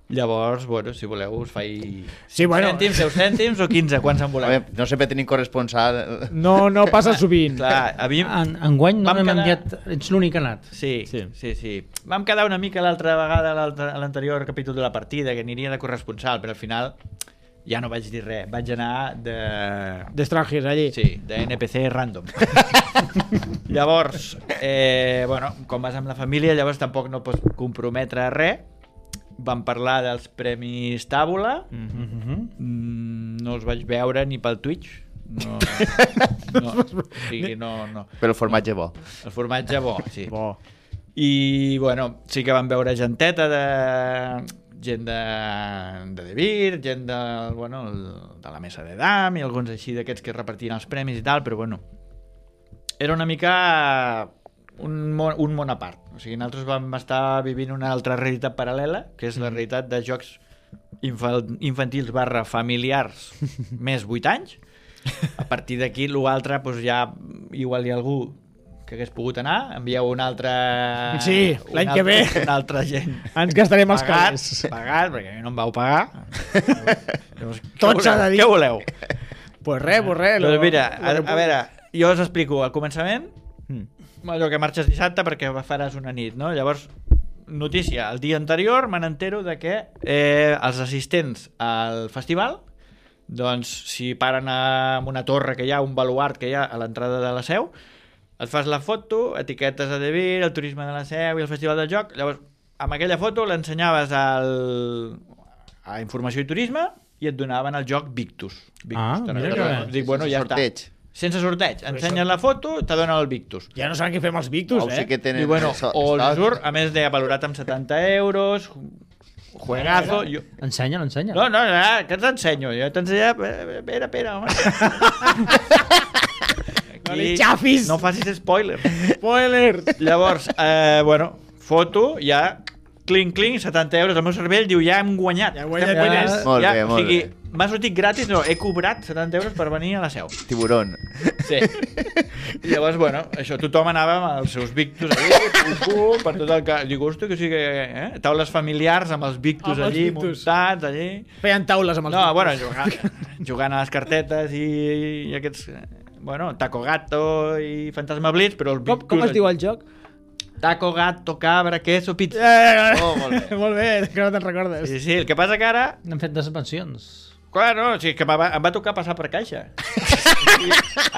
Llavors, bueno, si voleu, us faig sí, bueno. cèntims, deu cèntims o quinze, quan se'n voleu. Veure, no sempre tenim corresponsal. No, no passa sovint. Clar, havíem... En, enguany no m'hem quedar... enviat, ets l'únic que ha anat. Sí, sí, sí, sí. Vam quedar una mica l'altra vegada a l'anterior capítol de la partida, que aniria de corresponsal, però al final ja no vaig dir res. Vaig anar de... D'estrangers, allí. Sí, de N P C random. Llavors, eh, bueno, com vas amb la família, llavors tampoc no pots comprometre res. Vam parlar dels premis Tàbula. Mm-hmm. Mm, no els vaig veure ni pel Twitch. No, no, o sigui, no, no. Però el formatge bo. El formatge bo, sí. Bo. I, bueno, sí que vam veure genteta de... gent de, de De Vir, gent de, bueno, de la mesa de Dam i alguns així d'aquests que repartien els premis i tal, però bueno, era una mica un món, un món a part. O sigui, nosaltres vam estar vivint una altra realitat paral·lela, que és la realitat de jocs infantils barra familiars més vuit anys. A partir d'aquí, l'altre, doncs ja igual hi ha algú que hagués pogut anar, envieu un altre... Sí, l'any que ve. Una altra gent. Ens gastarem els pagat, calés. pagat, perquè no em vau pagar. Llavors, Tot s'ha de dir. Què voleu? Pues res, pues res. Doncs mira, a, a veure, jo us explico al començament, mm. allò que marxes dissabte perquè faràs una nit, no? Llavors, notícia, el dia anterior me n'entero de que eh, els assistents al festival, doncs si paren a una torre que hi ha, un baluart que hi ha a l'entrada de la Seu, et fas la foto, etiquetes a De Vir, el turisme de la Seu i el festival del joc, llavors amb aquella foto l'ensenyaves al... a Informació i Turisme i et donaven el joc Victus. Victus ah, mira que bé. Dic, bueno, ja sorteig. Està. Sense sorteig. Ensenyes la foto, te donen el Victus. Ja no saben què fem els Victus, oh, eh? Sí que tenen... I bueno, so, o el surt, a més de valorat amb setanta euros, juegazo... Jo... Ensenya, l'ensenya. No, no, no, que t'ensenyo? Jo t'ensenyo... Espera, espera, home. No li xafis! No facis spoiler. Spoiler! Llavors, eh, bueno, foto, ja... Clinc, clinc, setanta euros. El meu cervell diu, ja hem guanyat. Ja hem guanyat ja, diners. Molt ja, bé, molt o sigui, bé. m'ha sortit gratis, no, he cobrat setanta euros per venir a la Seu. Tiburón. Sí. I llavors, bueno, això, tothom anava amb els seus Victus allí, pum, pum, per tot el que... Dic, hosti, que sí que... Eh? Taules familiars amb els Victus Amb els allí, Victus. muntats allí... Feien taules amb els No, Victus. bueno, jugant, jugant a les cartetes i, i aquests... Bueno, Taco Gato i Fantasma Blitz, però els Com, Victus... com es diu el joc? Taco, gato, cabra, queso, pizza. Eh, Oh, molt bé. molt bé, que no te'n recordes. Sí, sí, el que passa que ara... N'hem fet des pensions. Clar, no, o sigui, que em va, em va tocar passar per caixa.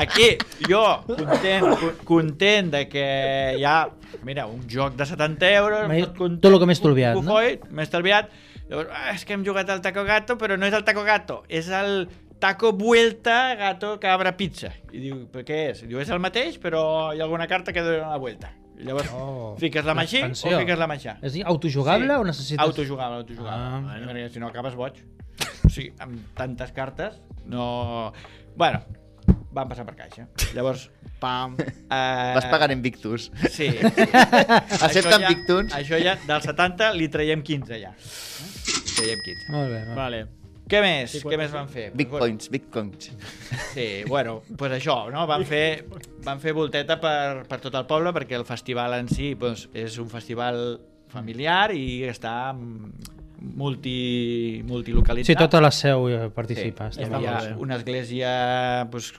Aquí, jo, content, con- content de que hi ha, mira, un joc de setanta euros... M'he- content, tot lo que m'he estalviat, no? cofoi, m'he estalviat. Llavors, ah, és que hem jugat al Taco Gato, però no és el Taco Gato, és el Taco Vuelta Gato Cabra Pizza. I diu, però què és? I diu, és el mateix, però hi ha alguna carta que dona la vuelta. I llavors, Oh. fiques la maixí o Expansió. fiques la maixà. És dir, autojugable Sí. o necessites... Autojugable, autojugable. Ah. Bueno, perquè si no acabes boig. O sigui, amb tantes cartes, no... Bueno, van passar per caixa. Llavors, pam... Eh... Vas pagar en Victus. Sí. Accepten Això ja- Victuns? Això ja, del setanta li traiem quinze ja. Eh? Traiem quinze. Molt bé, va. Vale. Què més? Sí, Què més van fer? Bitcoins, bitcoins. Sí, bueno, pues això, no? Van fer, van fer volteta per, per tot el poble perquè el festival en si pues, és un festival familiar i està multi, multilocalitzat. Sí, tota la Seu hi participa. Sí, hi està havia molt bé. una església, pues,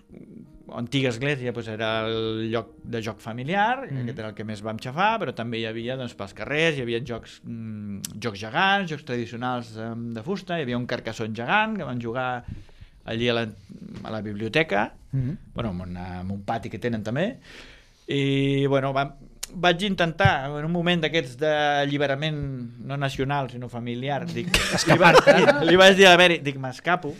antiga església, pues, era el lloc de joc familiar, mm. aquest era el que més vam xafar, però també hi havia doncs, pels carrers, hi havia jocs, mm, jocs gegants, jocs tradicionals um, de fusta, hi havia un carcassón gegant que van jugar allí a la, a la biblioteca, mm -hmm. bueno, en, una, en un pati que tenen també, i bueno, vam, vaig intentar, en un moment d'aquests d'alliberament no nacional, sinó familiar, dic, li, va, li, li vaig dir a Beri, dic, m'escapo,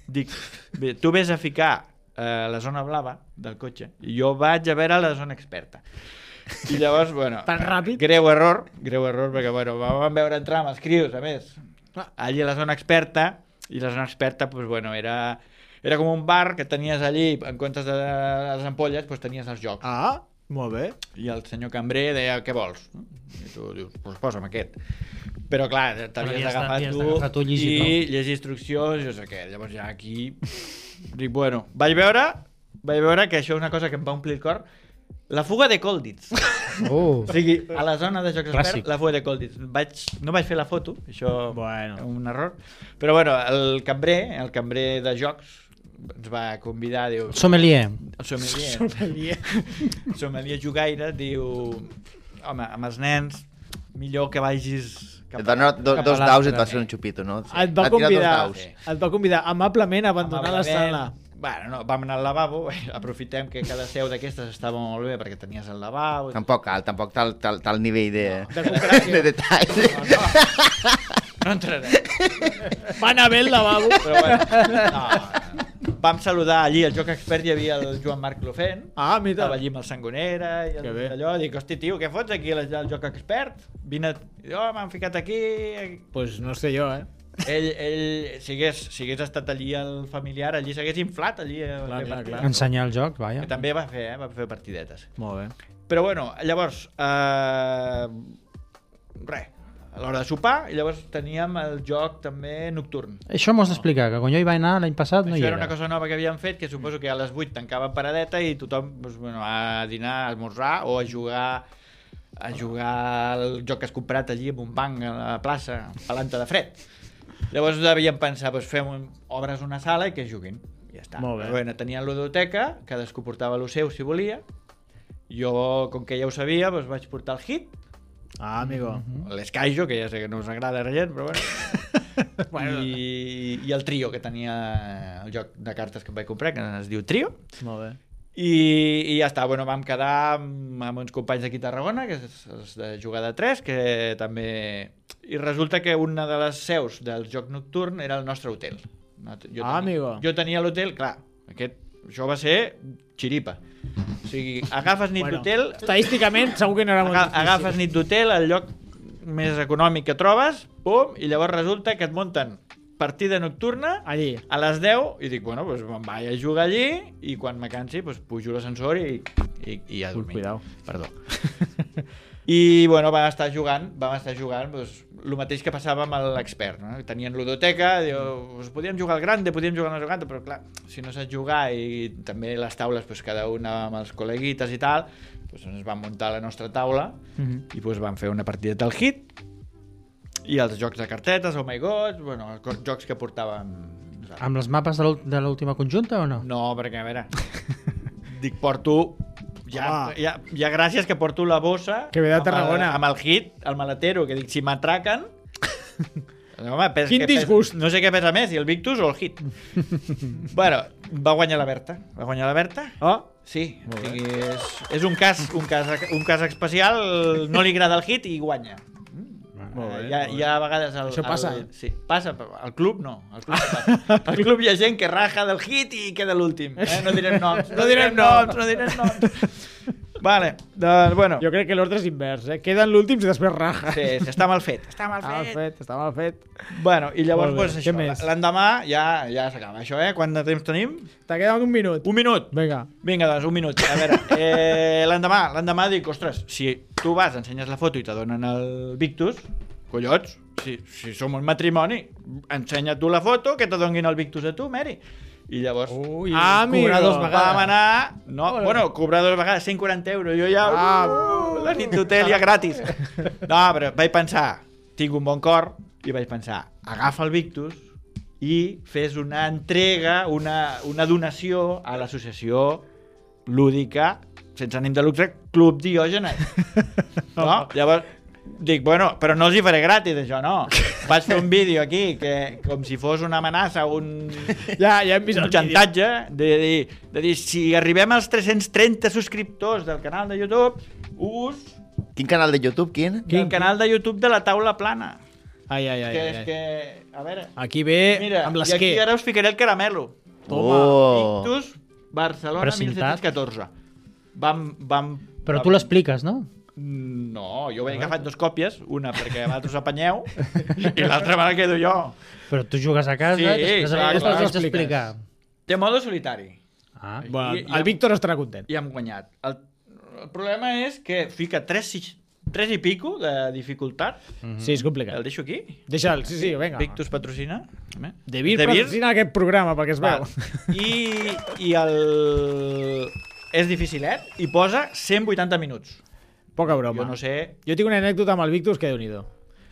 dic, bé, tu vés a ficar eh, la zona blava del cotxe, i jo vaig a veure la zona experta. I llavors, bueno, Tan ràpid? greu error, greu error, perquè, bueno, vam veure entrar amb els crios, a més, allí a la zona experta, i la zona experta, pues, bueno, era, era com un bar que tenies allí, en comptes de les ampolles, pues, tenies els jocs. Ah, molt bé. I el senyor cambrer deia, què vols? I tu dius, doncs posa'm aquest. Però clar, Però t'havies li has d'agafar de- li has tu, d'agafar tu i llegir, i llegir instruccions, jo sé què. Llavors ja aquí... Dic, bueno, vaig veure, vaig veure que això és una cosa que em va omplir el cor, La fuga de Colditz. Oh. O sigui, a la zona de jocs Clàssic. experts, la fuga de Colditz. Vaig, no vaig fer la foto, això Bueno. un error. Però bueno, el cambrer, el cambrer de jocs ens va convidar, diu... Sommelier. El sommelier. Sommelier. El sommelier jugaire diu... Home, amb els nens, millor que vagis... Et va donar do, cap a dos l'altre, daus i et va eh? fer un xupito, no? Et va Va tirar dos convidar, daus. et va convidar amablement a abandonar la Amablement. sala. Bueno, no, vam anar al lavabo, aprofitem que cada seu d'aquestes estava molt bé perquè tenies el lavabo. Tampoc cal, tampoc tal, tal, tal nivell de, De concreció. de detall. No, no, no entrarem. Va anar bé el lavabo. Però bueno, no, vam saludar allí, al Joc Expert hi havia el Joan Marc Clofent, Ah, mira. estava allí amb el Sangonera i el, Que bé. allò, dic, hosti tio, què fots aquí al, al Joc Expert? Vine, oh, m'han ficat aquí... Pues no sé jo, eh? Ell, ell si, hagués, si hagués estat allí el familiar, allí s'hagués inflat allí. a Clar, fer clar, partides. clar. Ensenyar el joc, vaja. Que també va fer, eh? Va fer partidetes. Molt bé. Però bueno, llavors, eh, res, a l'hora de sopar, i llavors teníem el joc també nocturn. Això m'ho has d'explicar, que quan jo hi vaig anar l'any passat no hi Això era era. una cosa nova que havíem fet, que suposo que a les vuit tancava paradeta i tothom doncs, bueno, a dinar, a esmorzar o a jugar a jugar al joc que has comprat allí en un banc a la plaça, pelanta de fred. Llavors devíem pensar, doncs fem un, obres una sala i que juguin. I ja està. Molt bé. Però bueno, tenien ludoteca, cadascú portava el seu si volia. Jo, com que ja ho sabia, doncs vaig portar el Hit, Ah, amigo. l'Eskaijo, que ja sé que no us agrada a la gent, però bueno. bueno. I, I el Trio, que tenia el joc de cartes que em vaig comprar, que es diu Trio. Molt bé. I, i ja està, bueno, vam quedar amb, amb uns companys d'aquí a Tarragona, que és, és de jugar de tres, que també... I resulta que una de les seus del joc nocturn era el nostre hotel. Jo tenia, Ah, amigo. Jo tenia l'hotel, clar, aquest, això va ser xiripa. O sigui, agafes nit Bueno, d'hotel... estadísticament segur que no era molt Aga difícil. agafes nit d'hotel, el lloc més econòmic que trobes, pum, i llavors resulta que et munten partida nocturna Allí. a les deu i dic, bueno, doncs me'n vaig a jugar allí i quan me cansi doncs pujo a l'ascensor i, i, i a dormir. Cuidao. Perdó. I bueno, vam estar jugant, vam estar jugant doncs, el mateix que passava amb l'expert, no? Tenien ludoteca, diu, pues, podíem jugar al grande, podíem jugar al no sé quant, però clar, si no saps jugar i també les taules, pues, cada una amb els col·leguites i tal, pues, ens vam muntar la nostra taula Mhm. i pues, vam fer una partida del Hit i els jocs de cartetes, oh my god, bueno, els jocs que portàvem nosaltres. Amb les mapes de l'ult- de l'última conjunta o no? No, perquè a veure, dic, porto ja, Home. ja, ja gràcies que porto la bossa Que ve de amb el- Tarragona. amb el Hit, el maletero, que dic, si m'atraquen home, pes, Quin que pes, disgust. no sé què pesa més, si el Victus o el Hit. Bueno, va guanyar la Berta, va guanyar la Berta. Oh, Sí, o sigui, és, és un cas, un cas un cas especial, no li agrada el Hit i guanya. Molt bé, Eh, hi, ha, hi ha a vegades el, Això passa. el, sí, passa, però al club no, al club, no passa. Al club hi ha gent que raja del Hit i queda l'últim, eh? No direm noms, no, No direm direm noms, noms. no direm noms. Vale, doncs bueno, jo crec que l'ordre és invers, eh? Queden l'últims i després raja. sí, sí, està mal fet, està mal Està mal fet. fet, està mal fet. Bueno, i llavors Molt bé, pues, què això, més? l'endemà ja, ja s'acaba això, eh? Quant de temps tenim? T'ha quedat un minut. Un minut. Vinga. Vinga, doncs, un minut. A veure, eh, l'endemà, l'endemà dic, ostres, si tu vas, ensenyes la foto i te donen el Victus, collons, si, si som un matrimoni, ensenya tu la foto, que te donin el Victus a tu, Mary. I llavors, Ui, Ah, amigo. cobrar dos vegades. vam anar... No, Hola. bueno, cobrar dos vegades, cent quaranta euros, jo ja... Ah. Uh, la nit d'hotel ja gratis. No, però vaig pensar, tinc un bon cor, i vaig pensar, agafa el Victus i fes una entrega, una, una donació a l'associació lúdica, sense ànim de lucre, Club Diògenes. No? Llavors, dic, bueno, però no els hi faré gratis, això, no. Vaig fer un vídeo aquí, que com si fos una amenaça, un, Ja, ja hem vist un el vídeo. xantatge, de dir, de dir, si arribem als tres-cents trenta subscriptors del canal de YouTube, us... Quin canal de YouTube, quin? El canal de YouTube de la taula plana. Ai, ai, ai. Que ai, és ai. que... A veure... Aquí ve Mira, amb i aquí l'esquer. ara us ficaré el caramelo. Toma. Oh. Victus, Barcelona, Precintat. disset deu quatre. Vam... vam Però vam- tu l'expliques, no? No, jo he agafat dues còpies, una perquè vosaltres apanyeu i l'altra me la quedo jo. Però tu jugues a casa, Sí, després, clar, després clar. pots explicar. Té modo solitari Ah, Bueno, I- i el hem- Víctor estarà content. i hem guanyat. El, el problema és que fica tres, sis- tres i pico de dificultat. Sí, és complicat. El deixo aquí. Deixa'l, sí, sí, vinga. Victus patrocina. De Vir patrocina aquest programa, perquè es Val. veu. I, i el... és dificilet i posa cent vuitanta minuts. Poca broma. Jo no sé... Jo tinc una anècdota amb el Victus que déu-n'hi-do.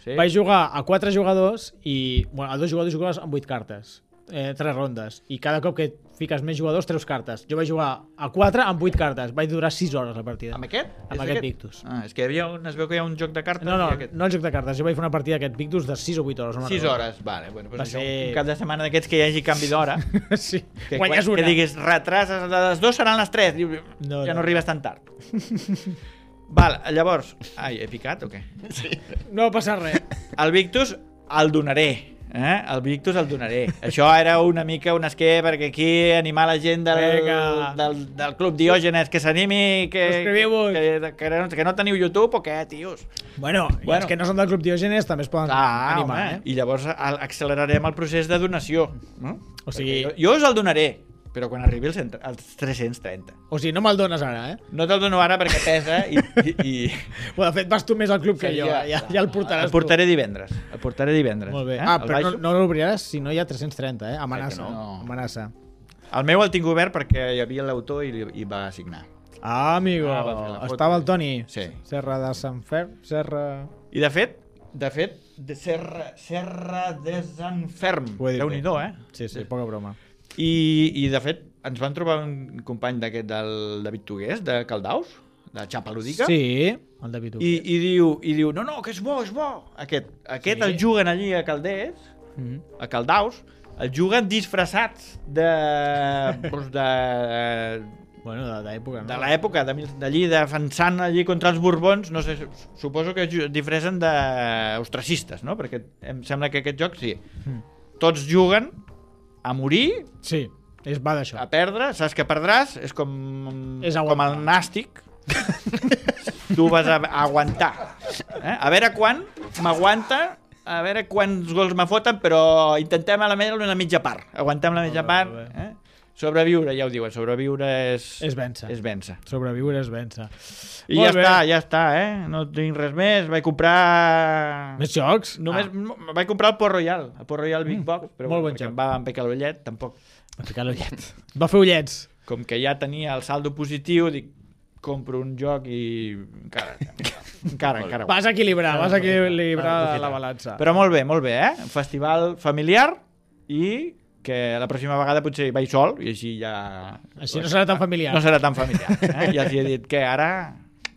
Sí? Vaig jugar a quatre jugadors i... Bueno, a dos jugadors jugaves amb vuit cartes. Eh, tres rondes. I cada cop que fiques més jugadors, treus cartes. Jo vaig jugar a quatre amb vuit cartes. Vaig durar sis hores la partida. Amb aquest? Amb És aquest Victus. Ah, és que hi havia un, es veu que hi ha un joc de cartes. No, no, i aquest... no el joc de cartes. Jo vaig fer una partida d'aquest Victus de sis o vuit hores. No sis hores, vale. Bueno, pues Va això, ser- un cap de setmana d'aquests que hi hagi canvi d'hora. Sí, Que, guanyes que una. diguis, retrases, les dues seran les tres. Diu, No, ja no, no. arribes tan tard. Val, llavors... Ai, he picat o què? No va passar res. El Victus el donaré. Eh? El Victus el donaré. Això era una mica un esquer perquè aquí animar la gent del, Vinga. del, del Club Diògenes que s'animi, que, Subscriviu-vos. que, que, no, que no teniu YouTube o què, tios? Bueno, i Bueno. els que no són del Club Diògenes també es poden Ah, animar, home, eh? i llavors al- accelerarem el procés de donació. No? O sigui- Perquè jo, jo us el donaré, però quan arribi als, cent- als tres-cents trenta. O sigui, no me'l dones ara, eh? No te'l dono ara perquè pesa i... i, i... Bueno, de fet, vas tu més al club que jo. Seria- Ja, ja el portaràs El portaré divendres. El portaré divendres. tu. Molt bé. Eh? Ah, El però baixo. no, no l'obriràs si no hi ha tres-cents trenta, eh? Amenaça. no? No. Amenaça. El meu el tinc obert perquè hi havia l'autor i, i va signar. Ah, amigo. Ah, va fer la foto. Estava el Toni. Sí. Serra de Sant Fer... Serra... I de fet, de fet, de Serra, Serra de Sant Ferm. Ho he dit Déu-n'hi-do, eh? Sí, sí, poca broma. I, I de fet, ens van trobar un company d'aquest del David Tugués, de Caldaus, de Xapa Ludica. Sí, el David I, i, diu, I diu, no, no, que és bo, és bo. Aquest, aquest Sí. el juguen allí a Calders, Mm -hmm. a Caldaus, el juguen disfressats de... doncs de Bueno, de l'època, no? de l'època, de- d'allí, defensant allí contra els borbons, no sé, suposo que ju- disfressen d'ostracistes, no? Perquè em sembla que aquest joc, sí. Mm. Tots juguen a morir, Sí, és va d'això. a perdre, saps que perdràs, és com, És com aguantar. el nàstic. Tu vas a, a aguantar. Eh? A veure quan m'aguanta, a veure quants gols me foten, però intentem a la meva una mitja part. Aguantem la mitja Molt bé, part. molt bé. Eh? Sobreviure, ja ho diuen, sobreviure és... És vèncer. És vèncer. Sobreviure és vèncer. I Molt ja bé. està, ja està, eh? No tinc res més. Vaig comprar... Més jocs? Només Ah, vaig comprar el Port Royal, el Port Royal Big Box, però molt bueno, bon perquè joc. em va empecar l'ullet, tampoc. va ficar l'ullet. Va fer ullets. Com que ja tenia el saldo positiu, dic, compro un joc i encara, encara, encara. Vas a equilibrar, vas a equilibrar Aprofita. la balança. Però molt bé, molt bé, eh? Un festival familiar i que la pròxima vegada potser hi vaig sol i així ja... Així no serà tan familiar. No serà tan familiar. Eh? Ja els he dit que ara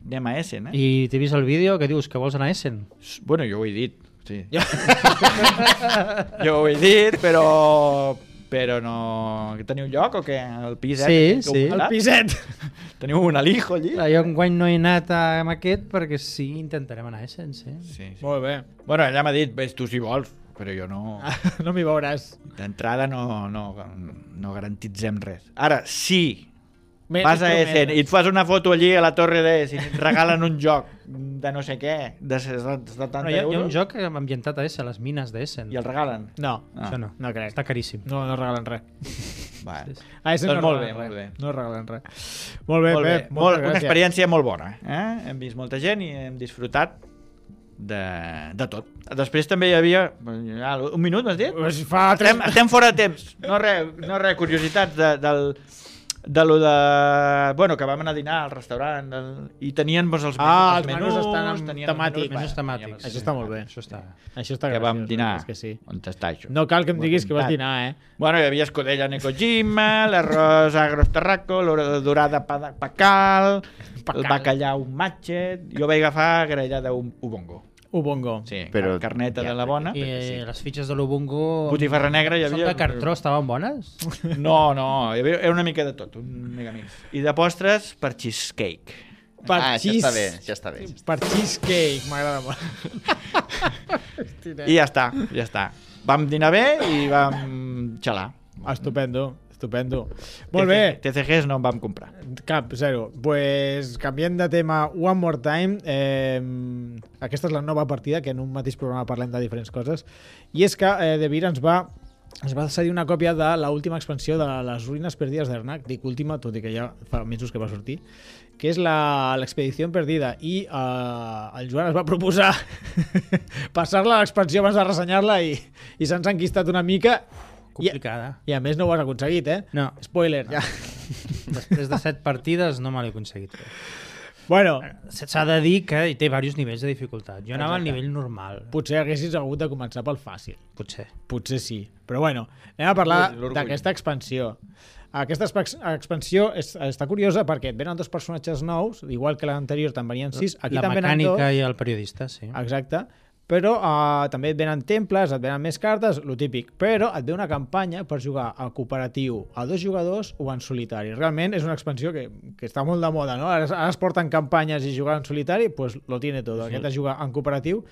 anem a Essen, eh? I t'he vist el vídeo que dius que vols anar a Essen. Bueno, jo ho he dit, sí. Jo ho he dit, però... Però no... Teniu lloc o què? El pis, eh? Sí, que heu sí. El muntat? piset. Teniu un alijo allí? Clar, jo enguany no he anat amb aquest perquè sí, intentarem anar a Essen, sí. Sí, sí. Molt bé. Bueno, ella m'ha dit, ves tu si vols, però jo no... No m'hi veuràs. D'entrada no, no, no garantitzem res. Ara, sí, Me- vas a més Essen prometes. i et fas una foto allí a la torre d'Essen i et regalen un joc de no sé què, de setanta No, hi, ha, hi ha un euros, joc ambientat a Essen, les mines d'Essen. i el regalen. No, Ah. Això no. no crec. Està caríssim. No, no regalen res. Va. Ah, ese Doncs no molt bé, regalen molt res. bé. No regalen res. Molt bé, Molt bé, Pep. molt, moltes una gràcies. experiència molt bona. Eh? Hem vist molta gent i hem disfrutat de, de tot. Després també hi havia... Ah, un minut, m'has dit? Pues fa tres... Estem, estem fora de temps. No res, no res curiositats de, del, de lo de... Bueno, que vam anar a dinar al restaurant del, i tenien doncs, els, Ah, els els menús, menús estan amb tenien els temàtics. menús, Menús bueno, temàtics. teníem- Això està molt bé. Això està... Això està que vam graciós, dinar. És que sí. On està això? No cal que em Ho he diguis que vas apuntat. dinar, eh? Bueno, hi havia escudella Necojima, l'arròs agros tarraco, l'hora dorada pa- pacal, el bacallà un matxet... Jo vaig agafar grellada un ubongo. Ubongo. Sí, Però- carneta ja, de la bona. I eh, les fitxes de l'Ubungo... Botifarra negra hi Són havia... de cartró, estaven bones? No, no, hi havia, era una mica de tot, un megamix. I de postres per cheesecake. Per Ah, això cheese- està bé, ja està bé. Per cheesecake, m'agrada molt. I ja està, ja està. Vam dinar bé i vam xalar. Estupendo, estupendo. Molt bé. T C Gs no en vam comprar. Cap, zero. Pues, canviant de tema one more time, eh, aquesta és la nova partida, que en un mateix programa parlem de diferents coses, i és que eh, De Beer ens va ens va cedir una còpia de l'última expansió de les ruïnes perdides d'Ernak, dic última, tot i que ja fa mesos que va sortir, que és la- l'expedició perdida, i eh, el Joan es va proposar passar-la a l'expansió abans de ressenyar-la i, i se'ns ha enquistat una mica. Complicada. I a més no ho has aconseguit, eh? No. Spoiler, ja. Després de set partides no me l'he aconseguit fer. Bueno, s'ha de dir que té diversos nivells de dificultat. Jo anava al nivell normal. Potser haguessis hagut de començar pel fàcil. Potser. Potser sí. Però bueno, anem a parlar d'aquesta expansió. Aquesta expansió és, està curiosa perquè et venen dos personatges nous, igual que l'anterior te'n venien sis. Aquí la mecànica i el periodista, sí. Exacte. Però uh, també et venen temples, et venen més cartes, lo típic. Però et ve una campanya per jugar a cooperatiu a dos jugadors o en solitari. Realment és una expansió que, que està molt de moda, no? Ara, ara es porten campanyes i jugar en solitari, pues lo tiene todo. Sí. Aquest és jugar en cooperatiu.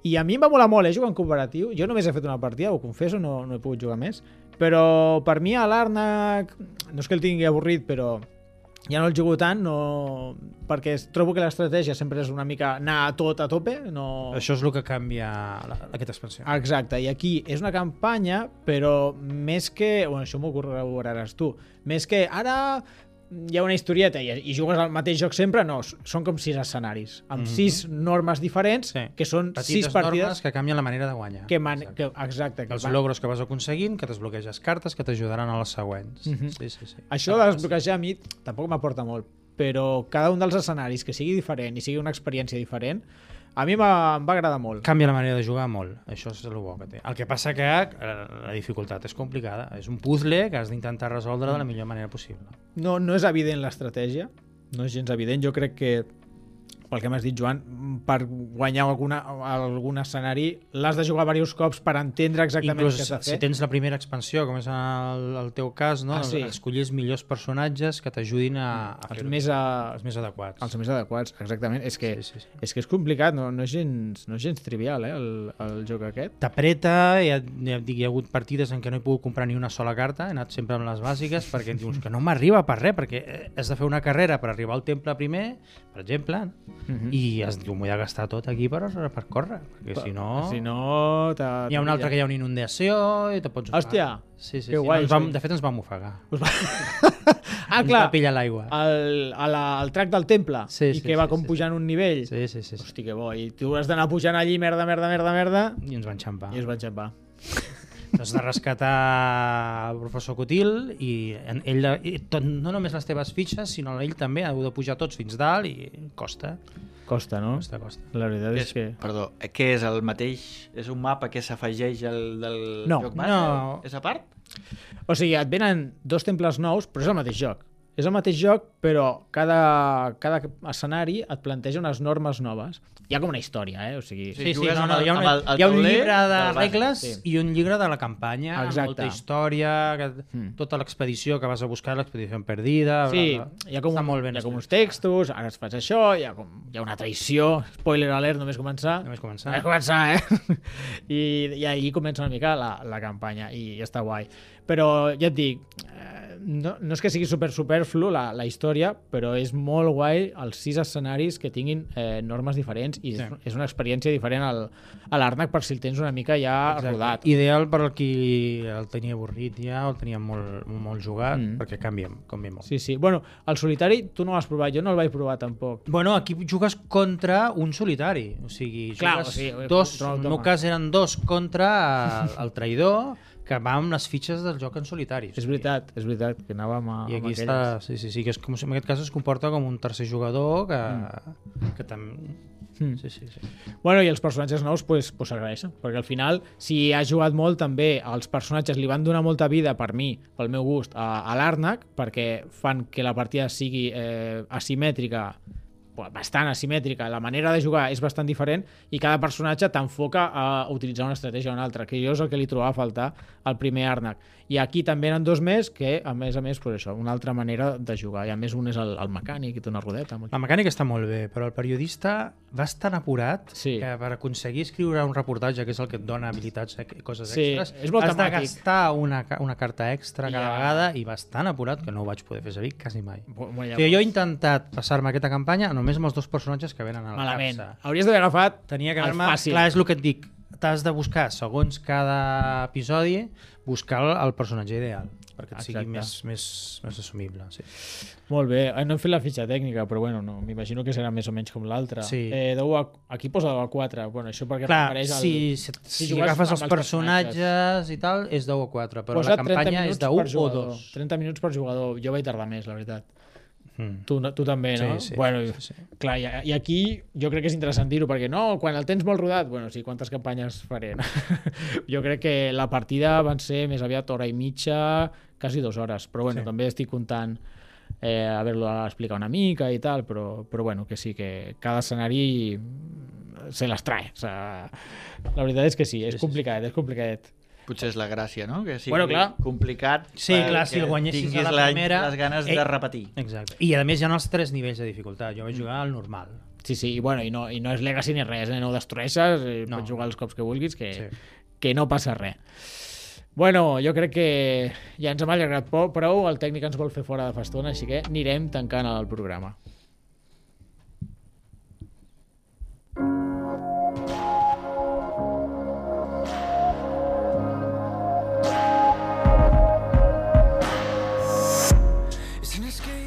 I a mi em va molar molt, eh, jugar en cooperatiu. Jo només he fet una partida, ho confesso, no, no he pogut jugar més. Però per mi a l'Arnac, no és que el tingui avorrit, però ja no el jugo tant, no... perquè trobo que l'estratègia sempre és una mica anar a tot a tope. No... Això és el que canvia la, aquesta expansió. Exacte, i aquí és una campanya, però més que... Bueno, això m'ho corroboraràs tu. Més que ara hi ha una historieta i, i jugues al mateix joc sempre, no, són com sis escenaris, amb mm-hmm. sis normes diferents, sí. que són petites sis partides... normes que canvien la manera de guanyar. Que man... que, exacte. Que els van... logros que vas aconseguint, que desbloqueges cartes que t'ajudaran a les següents. Mm-hmm. sí, sí, sí. Això de desbloquejar a mi tampoc m'aporta molt, però cada un dels escenaris que sigui diferent i sigui una experiència diferent, a mi em va agradar molt. Canvia la manera de jugar molt, això és el bo que té. El que passa que la dificultat és complicada, és un puzzle que has d'intentar resoldre de la millor manera possible. No, no és evident l'estratègia, no és gens evident. Jo crec que, pel que m'has dit, Joan, per guanyar alguna, algun escenari l'has de jugar diversos cops per entendre exactament Inclús, què s'ha de fer. Si tens la primera expansió, com és el, el teu cas, no? ah, sí. escollir els millors personatges que t'ajudin a, a els, fer més a... els més adequats. Els més adequats, exactament. És que, sí, sí, sí. És, que és complicat, no, no, és gens, no és gens trivial, eh, el, el joc aquest. T'apreta, ja, ja dic, hi ha hagut partides en què no he pogut comprar ni una sola carta, he anat sempre amb les bàsiques, perquè em dius que no m'arriba per res, perquè has de fer una carrera per arribar al temple primer, per exemple, uh-huh. i has diu, m'ho he de gastar tot aquí per, per córrer, perquè si no... Si no... Hi ha una altra que hi ha una inundació i te pots... Hòstia! Sí, sí, que sí. guai. No, vam, de fet, ens vam ofegar. Us va... ah, ens clar! va pillar l'aigua. El, la, el track del temple, sí, i sí, que va sí, com sí, pujant sí. un nivell. Sí, sí, sí. sí. Hosti, que bo. I tu has d'anar pujant allí, merda, merda, merda, merda... I ens van xampar. I ens van xampar. Has de rescatar el professor Cotil i ell, i tot, no només les teves fitxes, sinó ell també ha de pujar tots fins dalt i costa. Costa, no? Costa, costa. La veritat és, és que... Perdó, què és el mateix? És un mapa que s'afegeix al del no, joc base? No. És a part? O sigui, et venen dos temples nous, però és el mateix joc. És el mateix joc, però cada, cada escenari et planteja unes normes noves. Hi ha com una història, eh? O sigui... Sí, sí, no, no, hi ha, una, el, el hi ha un llibre de regles sí. i un llibre de la campanya, exacte. Molta història, que, mm. tota l'expedició que vas a buscar, l'expedició perdida... Sí, bla, bla. hi ha com, un, molt ben hi ha com uns textos, ara es fas això, hi ha, com, hi ha una traïció, spoiler alert, només començar. Només començar. Només començar, eh? I, I allí comença una mica la, la campanya, i, i està guai. Però ja et dic, no, no és que sigui super superflu la, la història, però és molt guai els sis escenaris que tinguin eh, normes diferents i sí. és, és una experiència diferent al, a l'Arnac per si el tens una mica ja exacte. Rodat. Ideal per al qui el tenia avorrit ja o el tenia molt, molt jugat, mm. perquè canvia, canvia molt. Sí, sí. Bueno, el solitari tu no l'has provat, jo no el vaig provar tampoc. Bueno, aquí jugues contra un solitari, o sigui, clar, jugues o sigui, dos, en el meu cas eren dos contra el, el traïdor, que va amb les fitxes del joc en solitari. És veritat, és veritat, que anàvem a, I aquí amb està, sí, sí, sí, que és com, en aquest cas es comporta com un tercer jugador que, mm. que també... Mm. Sí, sí, sí. Bueno, i els personatges nous pues, pues s'agraeixen, perquè al final, si has jugat molt també, els personatges li van donar molta vida per mi, pel meu gust, a, a l'Arnac, perquè fan que la partida sigui eh, asimètrica, bastant asimètrica, la manera de jugar és bastant diferent i cada personatge t'enfoca a utilitzar una estratègia o una altra, que jo és el que li trobava a faltar al primer Arnac. I aquí també eren dos més que, a més a més, pues això, una altra manera de jugar. I a més un és el, el mecànic i té una rodeta. La mecànica està molt bé, però el periodista va estar apurat sí. que per aconseguir escriure un reportatge, que és el que et dona habilitats i coses sí, extras, és molt has temàtic. de gastar una, una carta extra cada ja. vegada i va tan apurat que no ho vaig poder fer servir quasi mai. Bueno, o sigui, jo he intentat passar-me aquesta campanya només amb els dos personatges que venen a la malament. capsa. Hauries d'haver agafat Tenia que el fàcil. Clar, és el que et dic. t'has de buscar, segons cada episodi, buscar el, el personatge ideal, perquè et sigui més, més, més assumible. Sí. Molt bé, no hem fet la fitxa tècnica, però bueno, no, m'imagino que serà més o menys com l'altra. Sí. Eh, a, aquí posa deu a quatre, bueno, això perquè Clar, refereix al... si, si, si, si agafes els personatges, personatges i tal, és deu a quatre, però posa la campanya és de u o dos. trenta minuts per jugador, jo vaig tardar més, la veritat. Mm. Tu, tu també, no? Sí, sí. Bueno, sí, sí. Clar, i, i aquí jo crec que és interessant dir-ho, perquè no, quan el tens molt rodat, bueno, sí, quantes campanyes faré? No? Jo crec que la partida van ser més aviat hora i mitja, quasi dues hores, però bueno, sí. També estic comptant eh, haver-lo explicat una mica i tal, però, però bueno, que sí, que cada escenari se les trae. O sea, la veritat és que sí, és sí, complicat, sí. és complicat. Potser és la gràcia, no? Que sigui bueno, clar. complicat sí, clar, si el guanyessis a la primera... les ganes eh, de repetir. Exacte. I a més hi ha els tres nivells de dificultat. Jo vaig jugar al normal. Sí, sí, i, bueno, i, no, i no és Legacy ni res, eh? No ho destrueixes, eh, no. Pots jugar els cops que vulguis, que, sí. que no passa res. Bueno, jo crec que ja ens hem allargat prou, el tècnic ens vol fer fora de fa estona, així que anirem tancant el programa.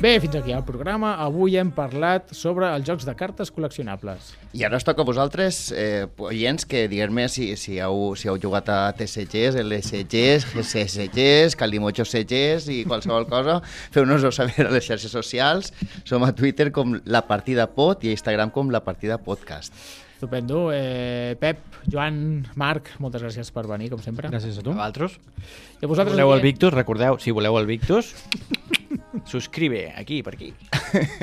Bé, fins aquí el programa. Avui hem parlat sobre els jocs de cartes col·leccionables. I ara us toca a vosaltres, eh, oients, que digueu-me si, si, heu, si heu jugat a T C Gs, L S Gs, S S Gs, Calimocho C Gs i qualsevol cosa. Feu-nos-ho saber a les xarxes socials. Som a Twitter com La Partida Pod i a Instagram com La Partida Podcast. Estupendo. Eh, Pep, Joan, Marc, moltes gràcies per venir, com sempre. Gràcies a tu. A vosaltres. I a vosaltres, voleu el Victus, recordeu, si voleu el Victus, subscribe, aquí, per aquí.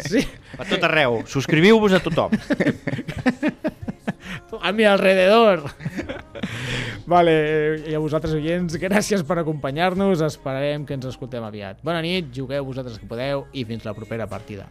Sí. Per tot arreu. Subscriviu-vos a tothom. A mi alrededor. Vale, i a vosaltres, oients, gràcies per acompanyar-nos. Esperarem que ens escoltem aviat. Bona nit, jugueu vosaltres que podeu i fins la propera partida.